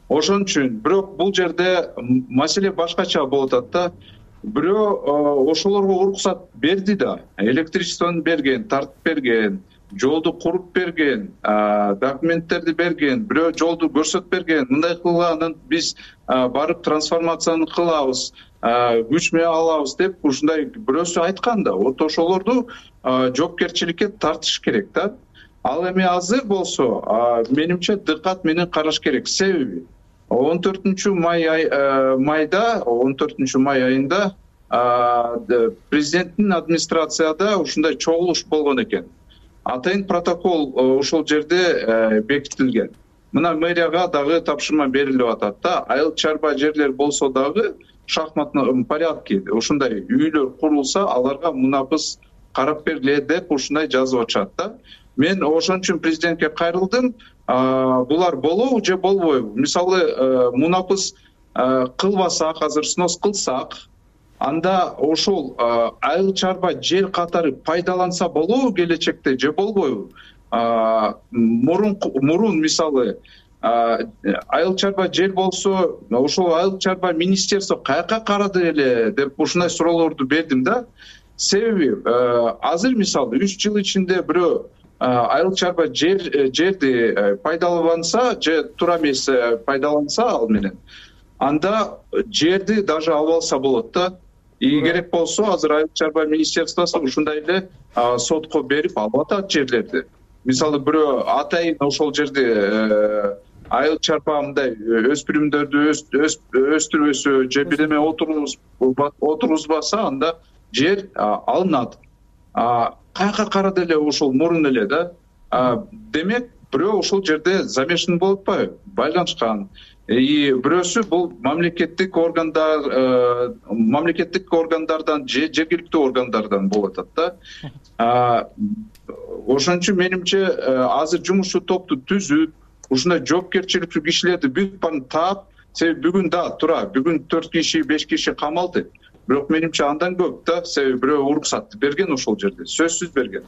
Ошон үчүн, бирок бул жерде маселе башкача болуп атат да. Бирөө ошолорго уруксат берди да, электричествону берген, тартып берген, жолду куруп берген, документтерди берген, бирөө жолду көрсөтүп берген. Мындай кылганын биз барып трансформацияны кылабыз, күч менен алабыз деп ушундай бирөөсү айткан да. Вот ошолорду жоопкерчиликке тартыш керек да. Ал эми азыр болсо, менимче дыкат менен караш керек. Себеби он төртүнчү май майда, он төртүнчү май айында президенттин администрацияда ушундай чогулуш болгон экен. Атайын протокол ошол жерде бекитилген. Мына мэрияга дагы тапшырма берилип атат да. Айыл чарба жерлер болсо дагы шахматный порядке ушундай үйлөр курулса, аларга мунапыс карап бергиле деп ушундай жазып атышат да. Мен ошон үчүн президентке кайрылдым. Булар болобу же болбойбу? Мисалы, мунапыс кылбасак, азыр снос кылсак, анда ошол айыл чарба жер катары пайдаланса болобу келечекте же болбойбу? Мурун мурун мисалы айыл чарба жер болсо, ошол айыл чарба министерство каяка карады эле деп ушундай суроолорду бердим да. Себеби азыр мисалы үч жыл ичинде бирөө айыл чарба жер жерди пайдаланса же туура эмес пайдаланса ал менен, анда жерди даже алып алса болот да. И керек болсо азыр айыл чарба министерствосу ушундай эле сотко берип алып атат жерлерди. Мисалы, бирөө атайын ошол жерде айыл чарба мындай өспүрүмдөрдү өстүрбөсө же бир эме отургузбаса, анда жер алынат. Каяка карады эле ошол мурун эле да. Демек, бирөө ошол жерде замешан болуп атпайбы? Байланышкан. И бирөөсү бул мамлекеттик органдар, мамлекеттик органдардан же жергиликтүү органдардан болуп атат да. Ошон үчүн менимче азыр жумушчу топту түзүп, ушундай жоопкерчиликтүү кишилерди бүт баарын таап, себеби бүгүн да туура, бүгүн төрт киши, беш киши камалды. Бирок менимче андан көп да, себеби бирөө уруксатты берген ошол жерде, сөзсүз берген.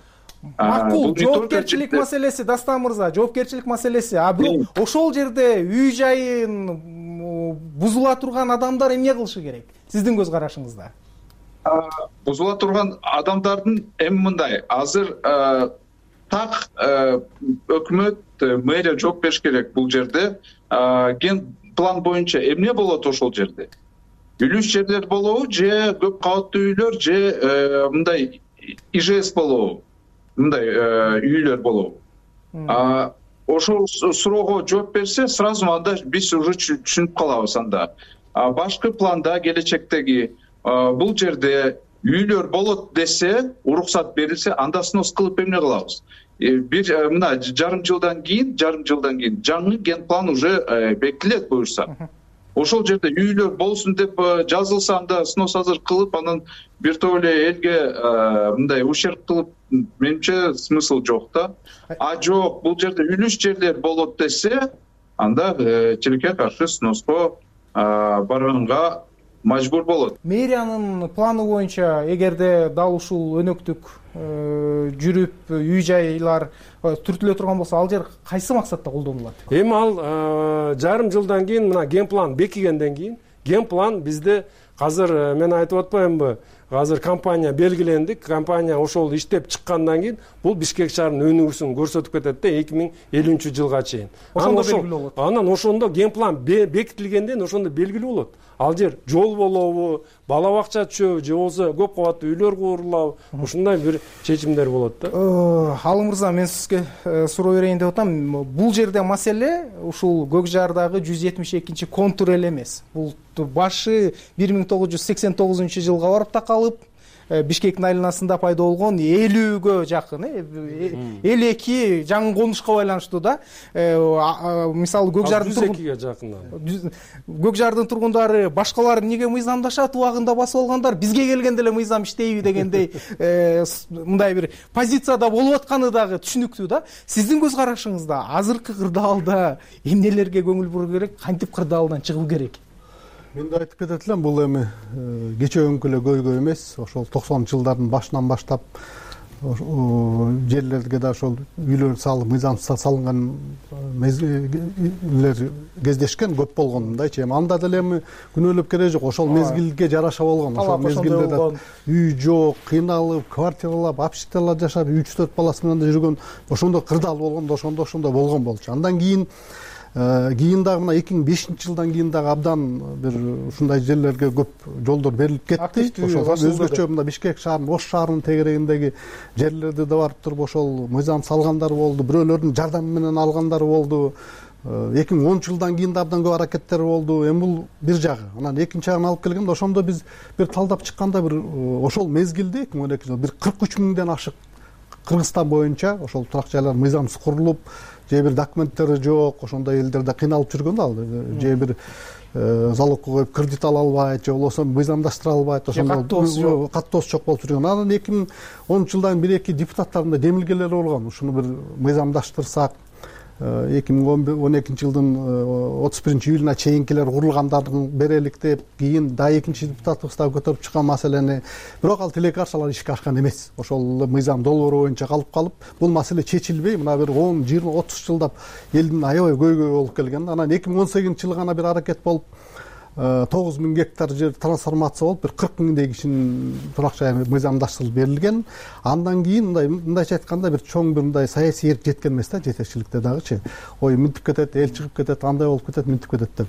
Макул, жоопкерчилик маселеси, Дастан мырза, жоопкерчилик маселеси. А бирок ошол жерде үй жайын бузула турган адамдар эмне кылышы керек? Сиздин көз карашыңызда. Бузула турган адамдардын эми мындай, азыр так өкмөт, мэрия жооп бериш керек бул жерде. Ген план боюнча эмне болот ошол жерде? Үлүш жерлер болобу же көп кабаттуу үйлөр же мындай ИЖС болобу? Мындай үйлөр болобу? Ошол суроого жооп берсе, сразу анда биз уже түшүнүп калабыз анда. Башкы планда келечектеги бул жерде үйлөр болот десе, уруксат берилсе, анда снос кылып эмне кылабыз? Бир мына жарым жылдан кийин, жарым жылдан кийин жаңы ген план уже бекитилет буюрса. Ошол жерде үйлөр болсун деп жазылса, анда снос азыр кылып, анан бир топ эле элге мындай ущерб кылып, менимче смысл жок да. А жок, бул жерде үлүш жерлер болот десе, анда тилекке каршы сноско барганга мажбур болот. Мэриянын планы боюнча, эгерде дал ушул өнөктүк жүрүп үй жайлар түртүлө турган болсо, ал жер кайсы максатта колдонулат? Эми ал жарым жылдан кийин, мына ген план бекигенден кийин, ген план бизде азыр мен айтып атпаймынбы? Азыр компания белгилендик, компания ошол иштеп чыккандан кийин бул Бишкек шаарынын өнүгүүсүн көрсөтүп кетет да эки миң элүүнчү жылга чейин. Ошондо белгилүү болот. Анан ошондо ген план бекитилгенден ошондо белгилүү болот. Ал жер жол болобу, бала бакча түшөбү, же болбосо көп кабаттуу үйлөр курулабы, ушундай бир чечимдер болот да. Алым мырза, мен сизге суроо берейин деп атам. Бул жерде маселе ушул Көк Жардагы жүз жетимиш экинчи контур эле эмес. Бул башы бир миң тогуз жүз сексен тогузунчу жылга барып такалып, Бишкектин айланасында пайда болгон элүүгө жакын элүү эки жаңы конушка байланыштуу да мисалы көк жардын жүз экиге жакын көк жардын тургундары башкалар эмнеге мыйзамдашат убагында басып алгандар бизге келгенде эле мыйзам иштейби дегендей мындай бир позицияда болуп атканы дагы түшүнүктүү да. Сиздин көз карашыңызда азыркы кырдаалда эмнелерге көңүл буруу керек, кантип кырдаалдан чыгуу керек? Мен да айтып кетет элем, бул эми кечеүнкү эле көйгөй эмес. Ошол токсонунчу жылдардын башынан баштап жерлерге да ошол үйлөр салып мыйзамсыз салынган мезгилдер кездешкен, көп болгон мындайчы. Эми анда деле эми күнөөлөп кереги жок, ошол мезгилге жараша болгон. Ошол мезгилде да үй жок, кыйналып, квартиралап, общежитияларда жашап, үч төрт баласы менен да жүргөн, ошондо кырдаал болгондо ошондо ошондо болгон болчу. Андан кийин кийин дагы мына эки миң бешинчи жылдан кийин дагы абдан бир ушундай жерлерге көп жолдор берилип кетти. Ошол өзгөчө мына Бишкек шаарынын, Ош шаарынын тегерегиндеги жерлерди да барып туруп ошол мыйзам салгандар болду, бирөөлөрдүн жардамы менен алгандар болду. эки миң онунчу жылдан кийин да абдан көп аракеттер болду. Эми бул бир жагы. Анан экинчи жагын алып келгенде ошондо биз бир талдап чыкканда бир ошол мезгилде эки миң он экинчи жыл бир кырк үч миңден ашык Кыргызстан боюнча ошол турак жайлар мыйзамсыз курулуп, же бир документтери жок, ошондой элдерде кыйналып жүргөн ал, же бир залогко коюп кредит ала албайт, же болбосо мыйзамдаштыра албайт, ошондо каттоосу жок болуп жүргөн. Анан эки миң онунчу жылдан бир эки депутаттардын демилгелери болгон. Ушуну бир мыйзамдаштырсак, эки миң он экинчи жылдын отуз биринчи июлуна чейинкилер курулгандарын берелик деп, кийин да экинчи депутатыбыз дагы көтөрүп чыккан маселени. Бирок ал тилекке каршы алар ишке ашкан эмес. Ошол мыйзам долбоору боюнча калып калып, бул маселе чечилбей, мына бир он, жыйырма, отуз жылдап элдин аябай көйгөй болуп келген. Анан эки миң он сегизинчи жылы гана бир аракет болуп, тогуз миң гектар жер трансформация болуп, бир кырк миңдей кишинин турак жайы мыйзамдаштырылып берилген. Андан кийин мындай мындайча айтканда бир чоң бир мындай саясий эрк жеткен эмес да, жетекчиликте дагычы. Ой, мынтип кетет, эл чыгып кетет, андай болуп кетет, мынтип кетет деп.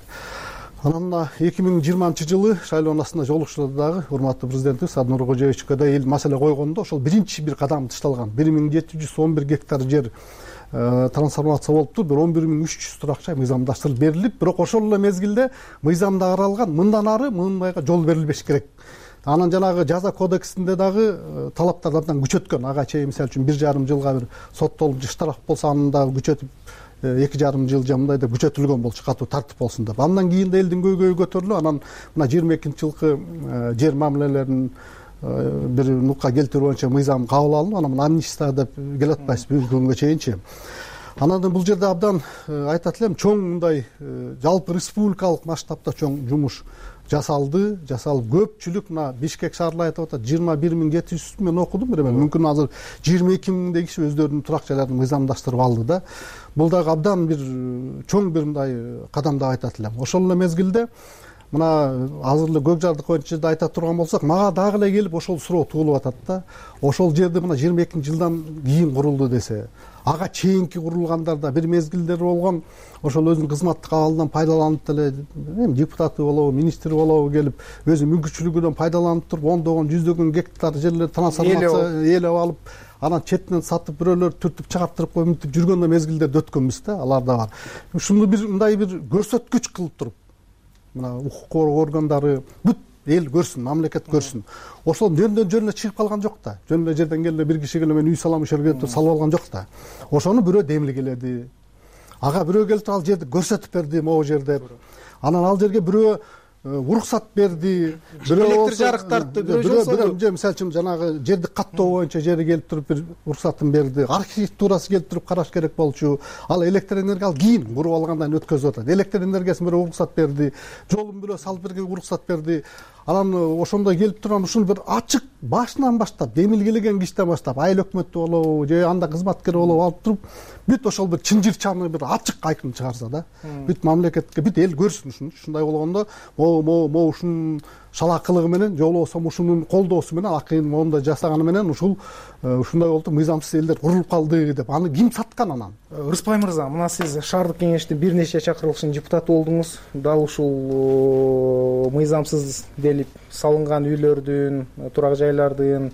Анан мына эки миң жыйырманчы жылы шайлоонун астында жолугушууларда дагы урматтуу президентибиз Аднур Кожоевичке да эл маселе койгондо ошол биринчи бир кадам ташталган. бир миң жети жүз он бир гектар жер трансформация болуптур, бир он бир миң үч жүз турак жай мыйзамдаштырылып берилип, бирок ошол эле мезгилде мыйзамда каралган мындан ары мындайга жол берилбеш керек. Анан жанагы жаза кодексинде дагы талаптарды абдан күчөткөн. Ага чейин мисалы үчүн бир жарым жылга бир соттолуп штраф болсо аны дагы күчөтүп эки жарым жыл же мындай деп күчөтүлгөн болчу, катуу тартип болсун деп. Андан кийин да элдин көйгөйү көтөрүлүп, анан мына жыйырма экинчи жылкы жер мамилелерин бир нукка келтирүү боюнча мыйзам кабыл алынып, анан амнистия деп келатпайбыз бүгүнкү күнгө чейинчи. Анан бул жерде абдан айтат элем, чоң мындай жалпы республикалык масштабта чоң жумуш жасалды, жасалып көпчүлүк мына Бишкек шаарлары айтып атат, жыйырма бир миң жети жүз мен окудум бир эми, мүмкүн азыр жыйырма эки миңдей киши өздөрүнүн турак жайларын мыйзамдаштырып алды да. Бул дагы абдан бир чоң бир мындай кадам деп айтат элем. Ошол эле мезгилде мына азыр эле көк жарды боюнча да айта турган болсок, мага дагы эле келип ошол суроо туулуп атат да. Ошол жерди мына жыйырма экинчи жылдан кийин курулду десе, ага чейинки курулгандарда бир мезгилдер болгон, ошол өзүнүн кызматтык абалынан пайдаланып деле эми депутаты болобу, министр болобу келип өзү мүмкүнчүлүгүнөн пайдаланып туруп ондогон, жүздөгөн гектар жерлер трансформация ээлеп алып, анан четинен сатып бирөөлөр түртүп чыгарттырып коюп мынтип жүргөн да мезгилдерди өткөнбүз да, алар да бар. Ушуну бир мындай бир көрсөткүч кылып туруп, мына укук коргоо органдары бүт эл көрсүн, мамлекет көрсүн. Ошол жөндөн жөн эле чыгып калган жок да. Жөн эле жерден келе бир киши келе мен үй салам ошол жерге деп салып алган жок да. Ошону бирөө демилгеледи. Ага бирөө келип ал жерди көрсөтүп берди, могу жер деп. Анан ал жерге бирөө уруксат берди, бирөө электр жарык тартты, бирөө бирөө мисалы үчүн жанагы жерди каттоо боюнча жери келип туруп бир уруксатын берди. Архитектурасы келип туруп караш керек болчу. Ал электр энергия ал кийин куруп алгандан өткөзүп атат. Электр энергиясын бирөө уруксат берди, жолун бирөө салып берген уруксат берди. Анан ошондой келип турган ушуну бир ачык башынан баштап, демилгелеген кичтен баштап, айыл өкмөтү болобу, же анда кызматкер болобу алып туруп, бүт ошол бир чынжырчаны бир ачык айкын чыгарса да, бүт мамлекетке, бүт эл көрсүн ушуну. Ушундай болгондо, могу могу ушунун шалакылыгы менен, же болбосо ушунун колдоосу менен, акыйын моундай жасаганы менен ушул ушундай болду, мыйзамсыз элдер курулуп калды деп. Аны ким саткан анан? Рыспай мырза, мына сиз шаардык кеңештин бир нече чакырылышынын депутаты болдуңуз. Дал ушул мыйзамсыз делип салынган үйлөрдүн, турак жайлардын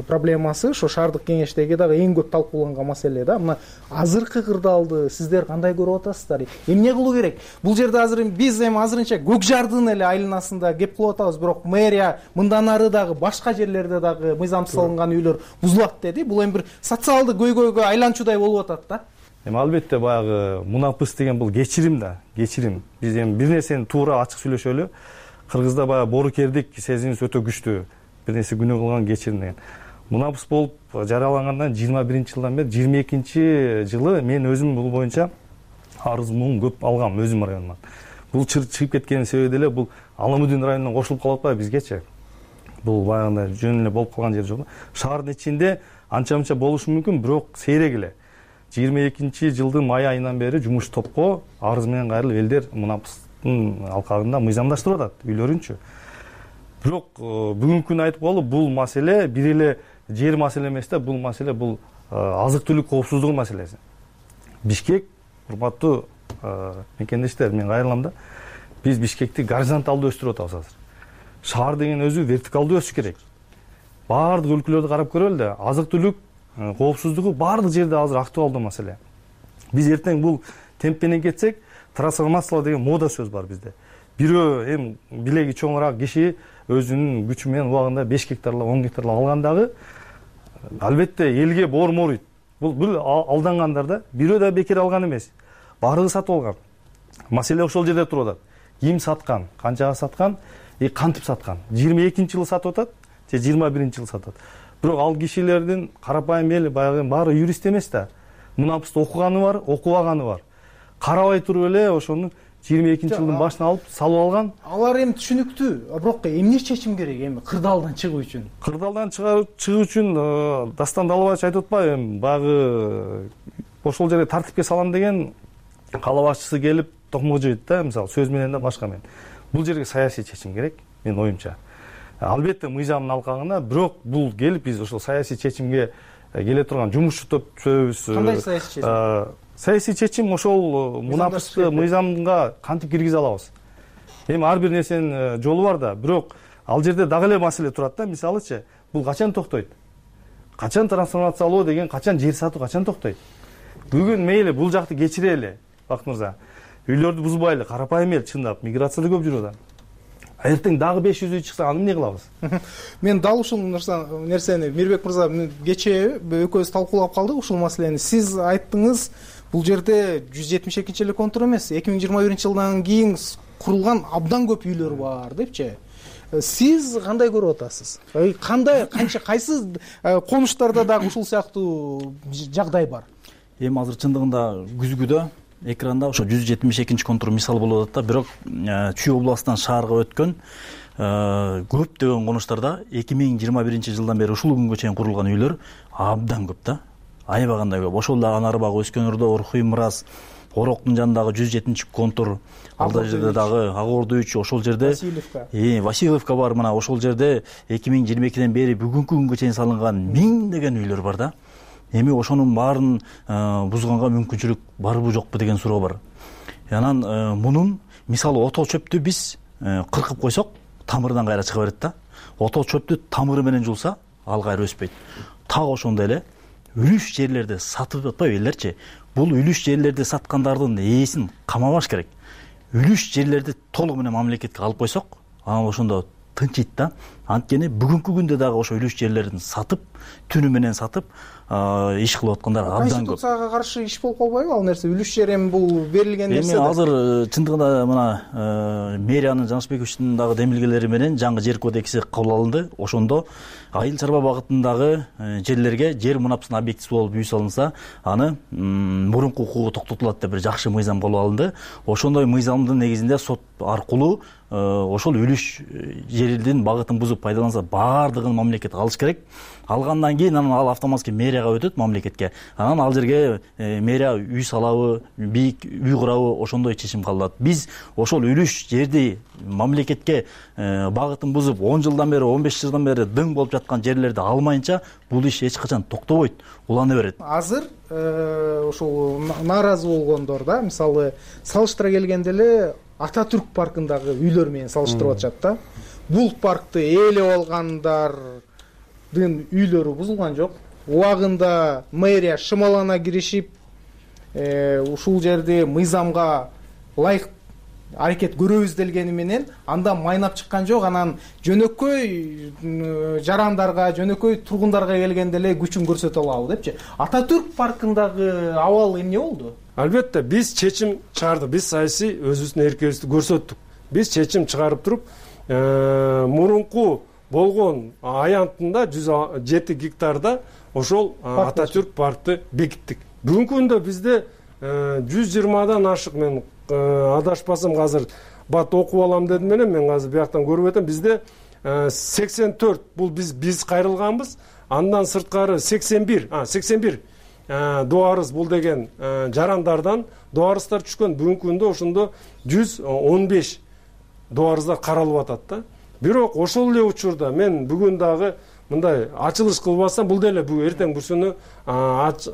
проблемасы ошо шаардык кеңештеги дагы эң көп талкууланган маселе да. Мына азыркы кырдаалды сиздер кандай көрүп атасыздар? Эмне кылуу керек? Бул жерде азыр биз эми азырынча Көк Жардын эле айланасында кеп кылып атабыз, бирок мэрия мындан ары дагы башка жерлерде дагы мыйзамсыз салынган үйлөр бузулат деди. Бул эми бир социалдык көйгөйгө айланчудай болуп атат да. Эми албетте баягы мунапыс деген бул кечирим да, кечирим. Биз эми бир нерсени туура ачык сүйлөшөлү. Кыргызда баягы боорукердик сезимибиз өтө күчтүү. Бир нерсе күнөө кылган кечирим деген. Мунапыс болуп жарыялангандан жыйырма биринчи жылдан бери жыйырма экинчи жылы мен өзүм бул боюнча арыз муң көп алгам өзүм районуман. Бул чыгып кеткенин себеби деле бул Аламудин районуна кошулуп калып атпайбы бизгечи. Бул баягындай жөн эле болуп калган жер жок. Шаардын ичинде анча-мынча болушу мүмкүн, бирок сейрек эле. жыйырма экинчи жылдын май айынан бери жумуш топко арыз менен кайрылып элдер мунапыстын алкагында мыйзамдаштырып атат үйлөрүнчү. Бирок бүгүнкү күнү айтып коелу, бул маселе бир эле жер маселе эмес да, бул маселе бул азык-түлүк коопсуздугу маселеси. Бишкек, урматтуу мекендештер, мен кайрылам да. Биз Бишкекти горизонталдуу өстүрүп атабыз азыр. Шаар деген өзү вертикалдуу өсүш керек. Баардык өлкөлөрдү карап көрөлү да, азык-түлүк коопсуздугу баардык жерде азыр актуалдуу маселе. Биз эртең бул темп менен кетсек, трансформациялоо деген мода сөз бар бизде. Бирөө эми билеги чоңураак киши өзүнүн күчү менен убагында беш гектарлап, он гектарлап алгандагы албетте элге боор моруйт. Бул бул алдангандар да. Бирөө да бекер алган эмес. Баардыгы сатып алган. Маселе ошол жерде туруп атат. Ким саткан, канчага саткан, и кантип саткан. жыйырма экинчи жылы сатып атат, же жыйырма биринчи жылы сатат. Бирок ал кишилердин карапайым эл баягы баары юрист эмес да. Мунапысты окуганы бар, окубаганы бар. Карабай туруп эле ошону жыйырма экинчи жылдын башына алып салып алган. Алар эми түшүнүктүү. Бирок эмне чечим керек эми кырдаалдан чыгуу үчүн? Кырдаалдан чыгуу үчүн Дастан Далбаевич айтып атпайбы, эми баягы ошол жерге тартипке салам деген кала башчысы келип токмок жыйт да, мисалы сөз менен да башка менен. Бул жерге саясий чечим керек, менин оюмча. Албетте мыйзамдын алкагында, бирок бул келип биз ошол саясий чечимге келе турган жумушчу топ түзөбүз. Кандай саясий чечим? Саясий чечим ошол мунапысты мыйзамга кантип киргизе алабыз. Эми ар бир нерсенин жолу бар да, бирок ал жерде дагы эле маселе турат да. Мисалычы, бул качан токтойт? Качан трансформациялоо деген, качан жер сатуу качан токтойт? Бүгүн мейли бул жакты кечирели, Бакыт мырза. Үйлөрдү бузбайлы, карапайым эл чындап миграцияда көп жүрүп атат. Эртең дагы беш жүз үй чыкса, аны эмне кылабыз? Мен дал ушул нерсени Мирбек мырза кечээ экөөбүз талкуулап калдык ушул маселени. Сиз айттыңыз, бул жерде жүз жетимиш экинчи эле контур эмес, эки миң жыйырма биринчи жылдан кийин курулган абдан көп үйлөр бар депчи. Сиз кандай көрүп атасыз? Кандай, канча, кайсы конуштарда дагы ушул сыяктуу жагдай бар? Эми азыр чындыгында күзгүдө экранда ошо жүз жетимиш экинчи контур мисал болуп атат да, бирок Чүй областынан шаарга өткөн көптөгөн конуштарда эки миң жыйырма биринчи жылдан бери ушул күнгө чейин курулган үйлөр абдан көп да, аябагандай көп. Ошол дагы Анарбаг, Өскөн Ордо, Орхуй, Мырас, Ороктун жанындагы жүз жетинчи контур, алда жерде дагы Ак Ордо үч, ошол жерде Васильевка, э, Васильевка бар. Мына ошол жерде эки миң жыйырма экиден бери бүгүнкү күнгө чейин салынган миңдеген үйлөр бар да. Эми ошонун баарын бузганга мүмкүнчүлүк барбы жокпу деген суроо бар. Анан мунун мисалы отоо чөптү биз кыркып койсок, тамырынан кайра чыга берет да. Отоо чөптү тамыры менен жулса, ал кайра өспөйт. Так ошондой эле үлүш жерлерди сатып атпайбы элдерчи? Бул үлүш жерлерди саткандардын ээсин камабаш керек. Үлүш жерлерди толук менен мамлекетке алып койсок, анан ошондо тынчыйт да. Анткени бүгүнкү күндө дагы ошо үлүш жерлерин сатып, түнү менен сатып иш кылып аткандар абдан көп. Конституцияга каршы иш болуп калбайбы ал нерсе? Үлүш жер эми бул берилген нерсе. Эми азыр чындыгында мына мэриянын Жанышбековичтин дагы демилгелери менен жаңы жер кодекси кабыл алынды. Ошондо айыл чарба багытындагы жерлерге жер мунапысынын объектиси болуп үй салынса, аны мурунку укугу токтотулат деп бир жакшы мыйзам кабыл алынды. Ошондой мыйзамдын негизинде сот аркылуу ошол үлүш жердин багытын бузуп пайдаланса, баардыгын мамлекет алыш керек. Алгандан кийин анан ал автоматский мэрияга өтөт, мамлекетке. Анан ал жерге мэрия үй салабы, бийик үй курабы, ошондой чечим кабыл алат. Биз ошол үлүш жерди мамлекетке багытын бузуп он жылдан бери, он беш жылдан бери дың болуп жаткан жерлерди алмайынча бул иш эч качан токтобойт, улана берет. Азыр ошол нааразы болгондор да, мисалы салыштыра келгенде эле Ататүрк паркындагы үйлөр менен салыштырып атышат да. Бул паркты ээлеп алгандар үйлөрү бузулган жок. Убагында мэрия шымалана киришип ушул жерди мыйзамга ылайык аракет көрөбүз делгени менен андан майнап чыккан жок. Анан жөнөкөй жарандарга, жөнөкөй тургундарга келгенде эле күчүн көрсөтө алабы депчи. Ататүрк паркындагы абал эмне болду? Албетте биз чечим чыгардык. Биз саясий өзүбүздүн эркибизди көрсөттүк. Биз чечим чыгарып туруп, мурунку болгон аянтында жүз жети гектарда ошол Ататүрк паркты бекиттик. Бүгүнкү күндө бизде жүз жыйырмадан ашык, мен адашпасам азыр бат окуп алам дедим менен, мен азыр бияктан көрүп атам, бизде сексен төрт бул биз биз кайрылганбыз. Андан сырткары сексен бир, а сексен бир дуарыз бул деген жарандардан дуарыздар түшкөн. Бүгүнкү күндө ошондо жүз он беш дуарыздар каралып атат да. Бирок ошол эле учурда мен бүгүн дагы мындай ачылыш кылбасам, бул деле бүгүн эртең бүрсүнү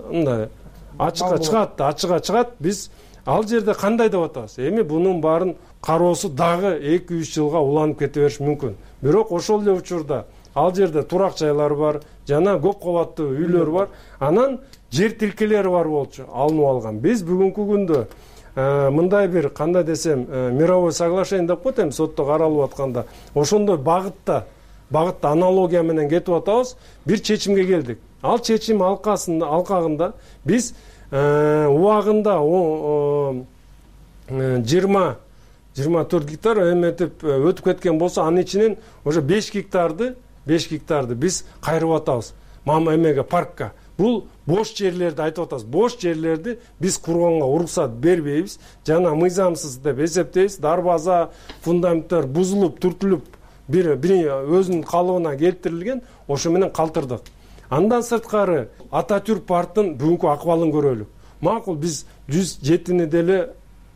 мындай ачыкка чыгат, ачыга чыгат. Биз ал жерде кандай деп атабыз? Эми бунун баарын кароосу дагы эки үч жылга уланып кете бериши мүмкүн. Бирок ошол эле учурда ал жерде турак жайлар бар, жана көп кабаттуу үйлөр бар. Анан жер тилкелери бар болчу, алынып алган. Биз бүгүнкү күндө мындай бир кандай десем, мировой соглашение деп коет, эми сотто каралып атканда ошондой багытта багытта аналогия менен кетип атабыз. Бир чечимге келдик. Ал чечим алкасында алкагында биз убагында жыйырма жыйырма төрт гектар эметип өтүп кеткен болсо, анын ичинен уже беш гектарды беш гектарды биз кайрып атабыз. Мама эмеге паркка. Бул бош жерлерди айтып атабыз. Бош жерлерди биз курганга уруксат бербейбиз. Жана мыйзамсыз деп эсептейбиз. Дарбаза, фундаменттер бузулуп, түртүлүп, бир бир өзүнүн калыбына келтирилген, ошо менен калтырдык. Андан сырткары Ататүрк парктын бүгүнкү акыбалын көрөлүк. Макул, биз жүз жетини деле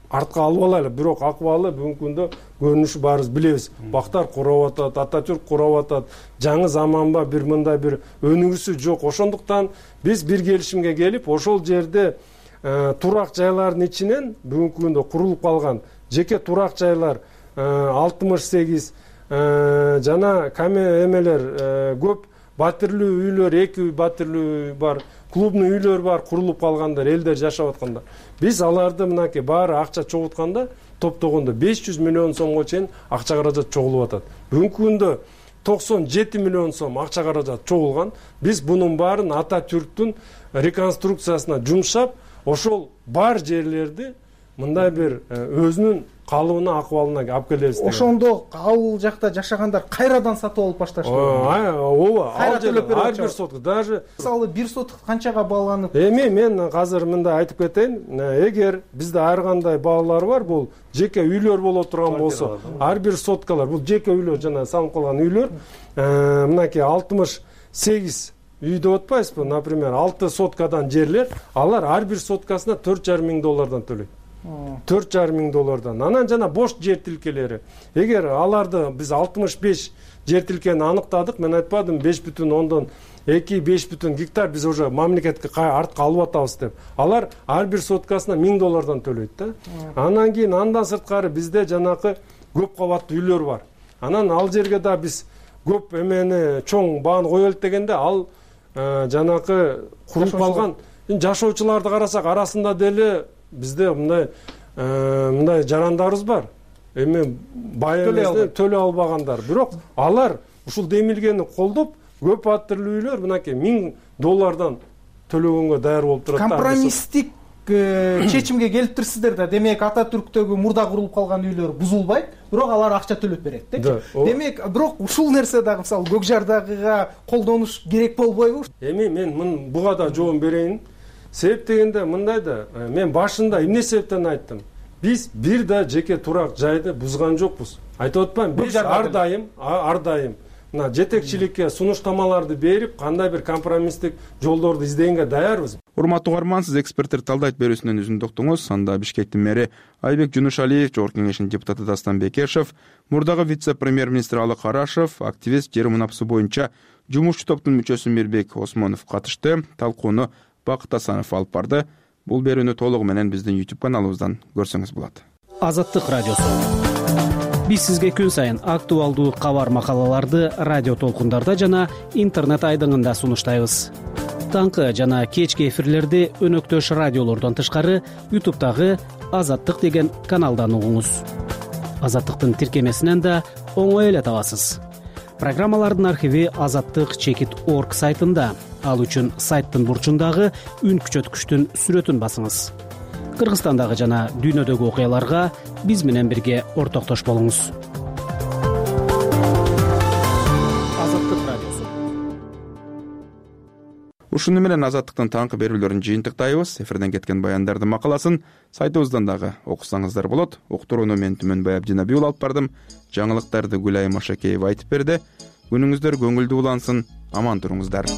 артка алып алайлы, бирок акыбалы бүгүнкү күндө көрүнүшү баарыбыз билебиз. Бактар курап атат, Ататүрк курап атат. Жаңы заманба бир мындай бир өнүгүүсү жок. Ошондуктан биз бир келишимге келип, ошол жерде турак жайлардын ичинен бүгүнкү күндө курулуп калган жеке турак жайлар алтымыш сегиз жана каме эмелер көп, батирлүү үйлөр, эки батирлүү бар, клубный үйлөр бар, курулуп калгандар, элдер жашап аткандар. Биз аларды мынакей баары акча чогултканда, топтогондо беш жүз миллион сомго чейин акча каражат чогулуп атат. Бүгүнкү күндө токсон жети миллион сом акча каражат чогулган. Биз бунун баарын Ататүрктүн реконструкциясына жумшап, ошол бар жерлерди мындай бир өзүнүн калыбына, акыбалына алып келебиз деген. Ошондо ал жакта жашагандар кайрадан сатып алып башташты. Ооба, ал жерде ар бир сотко даже мисалы бир соток канчага бааланып? Эми мен азыр мындай айтып кетейин. Эгер бизде ар кандай баалар бар, бул жеке үйлөр боло турган болсо, ар бир соткалар, бул жеке үйлөр, жана салынып калган үйлөр, мынакей алтымыш сегиз үй деп атпайсызбы? Например, алты соткадан жерлер, алар ар бир соткасына төрт жарым миң доллардан төлөйт. төрт жарым миң доллардан. Анан жана бош жер тилкелери. Эгер аларды биз алтымыш беш жер тилкени аныктадык, мен айтпадым беш бүтүн ондон эки беш бүтүн гектар биз уже мамлекетке артка алып атабыз деп. Алар ар бир соткасына миң доллардан төлөйт да. Анан кийин андан сырткары бизде жанакы көп кабаттуу үйлөр бар. Анан ал жерге да биз көп эмени чоң бааны коелут дегенде, ал жанакы куруп калган жашоочуларды карасак, арасында деле бизде мындай мындай жарандарыбыз бар. Эми бай эмес, төлөй албагандар. Бирок алар ушул демилгени колдоп, көп батирлүү үйлөр мынакей миң доллардан төлөгөнгө даяр болуп турат. Компромисстик чечимге келиптирсиздер да. Демек Ататүрктөгү мурда курулуп калган үйлөр бузулбайт, бирок алар акча төлөп берет депчи. Демек, бирок ушул нерсе дагы мисалы Көкжардагыга колдонуш керек болбойбу? Эми мен буга да жооп берейин. Себеп дегенде мындай да, мен башында эмне себептен айттым? Биз бир да жеке турак жайды бузган жокпуз. Айтып атпаймынбы? Биз ар дайым, ар дайым мына жетекчиликке сунуштамаларды берип, кандай бир компромисстик жолдорду издегенге даярбыз. Урматтуу угарман, сиз эксперттер талдайт берүүсүнөн үзүндү уктуңуз. Анда Бишкектин мэри Айбек Жунушалиев, Жогорку Кеңештин депутаты Дастан Бекешев, мурдагы вице-премьер-министр Алы Карашев, активист жер мунапысы боюнча жумушчу топтун мүчөсү Мирбек Осмонов катышты. Талкууну Бакыт Асанов алып барды. Бул берүүнү толугу менен биздин YouTube каналыбыздан көрсөңүз болот. Азаттык радиосу. биз сизге күн сайын актуалдуу кабар макалаларды радио толкундарда жана интернет айдыңында сунуштайбыз. Таңкы жана кечки эфирлерди өнөктөш радиолордон тышкары ютубтагы Азаттык деген каналдан угуңуз. Азаттыктын тиркемесинен да оңой эле табасыз. Программалардын архиви азаттык чекит орг сайтында. Ал үчүн сайттын бурчундагы үн күчөткүчтүн сүрөтүн басыңыз. Кыргызстандагы жана дүйнөдөгү окуяларга биз менен бирге ортоктош болуңуз. Азаттык радиосу. Ушуну менен Азаттыктын таңкы берүүлөрүн жыйынтыктайбыз. Эфирден кеткен баяндардын макаласын сайтыбыздан дагы окусаңыздар болот. Уктурууну мен Түмөнбай Абдинабиул алып бардым. Жаңылыктарды Гүлай Машакеева айтып берди. Күнүңүздөр көңүлдүү улансын. Аман туруңуздар.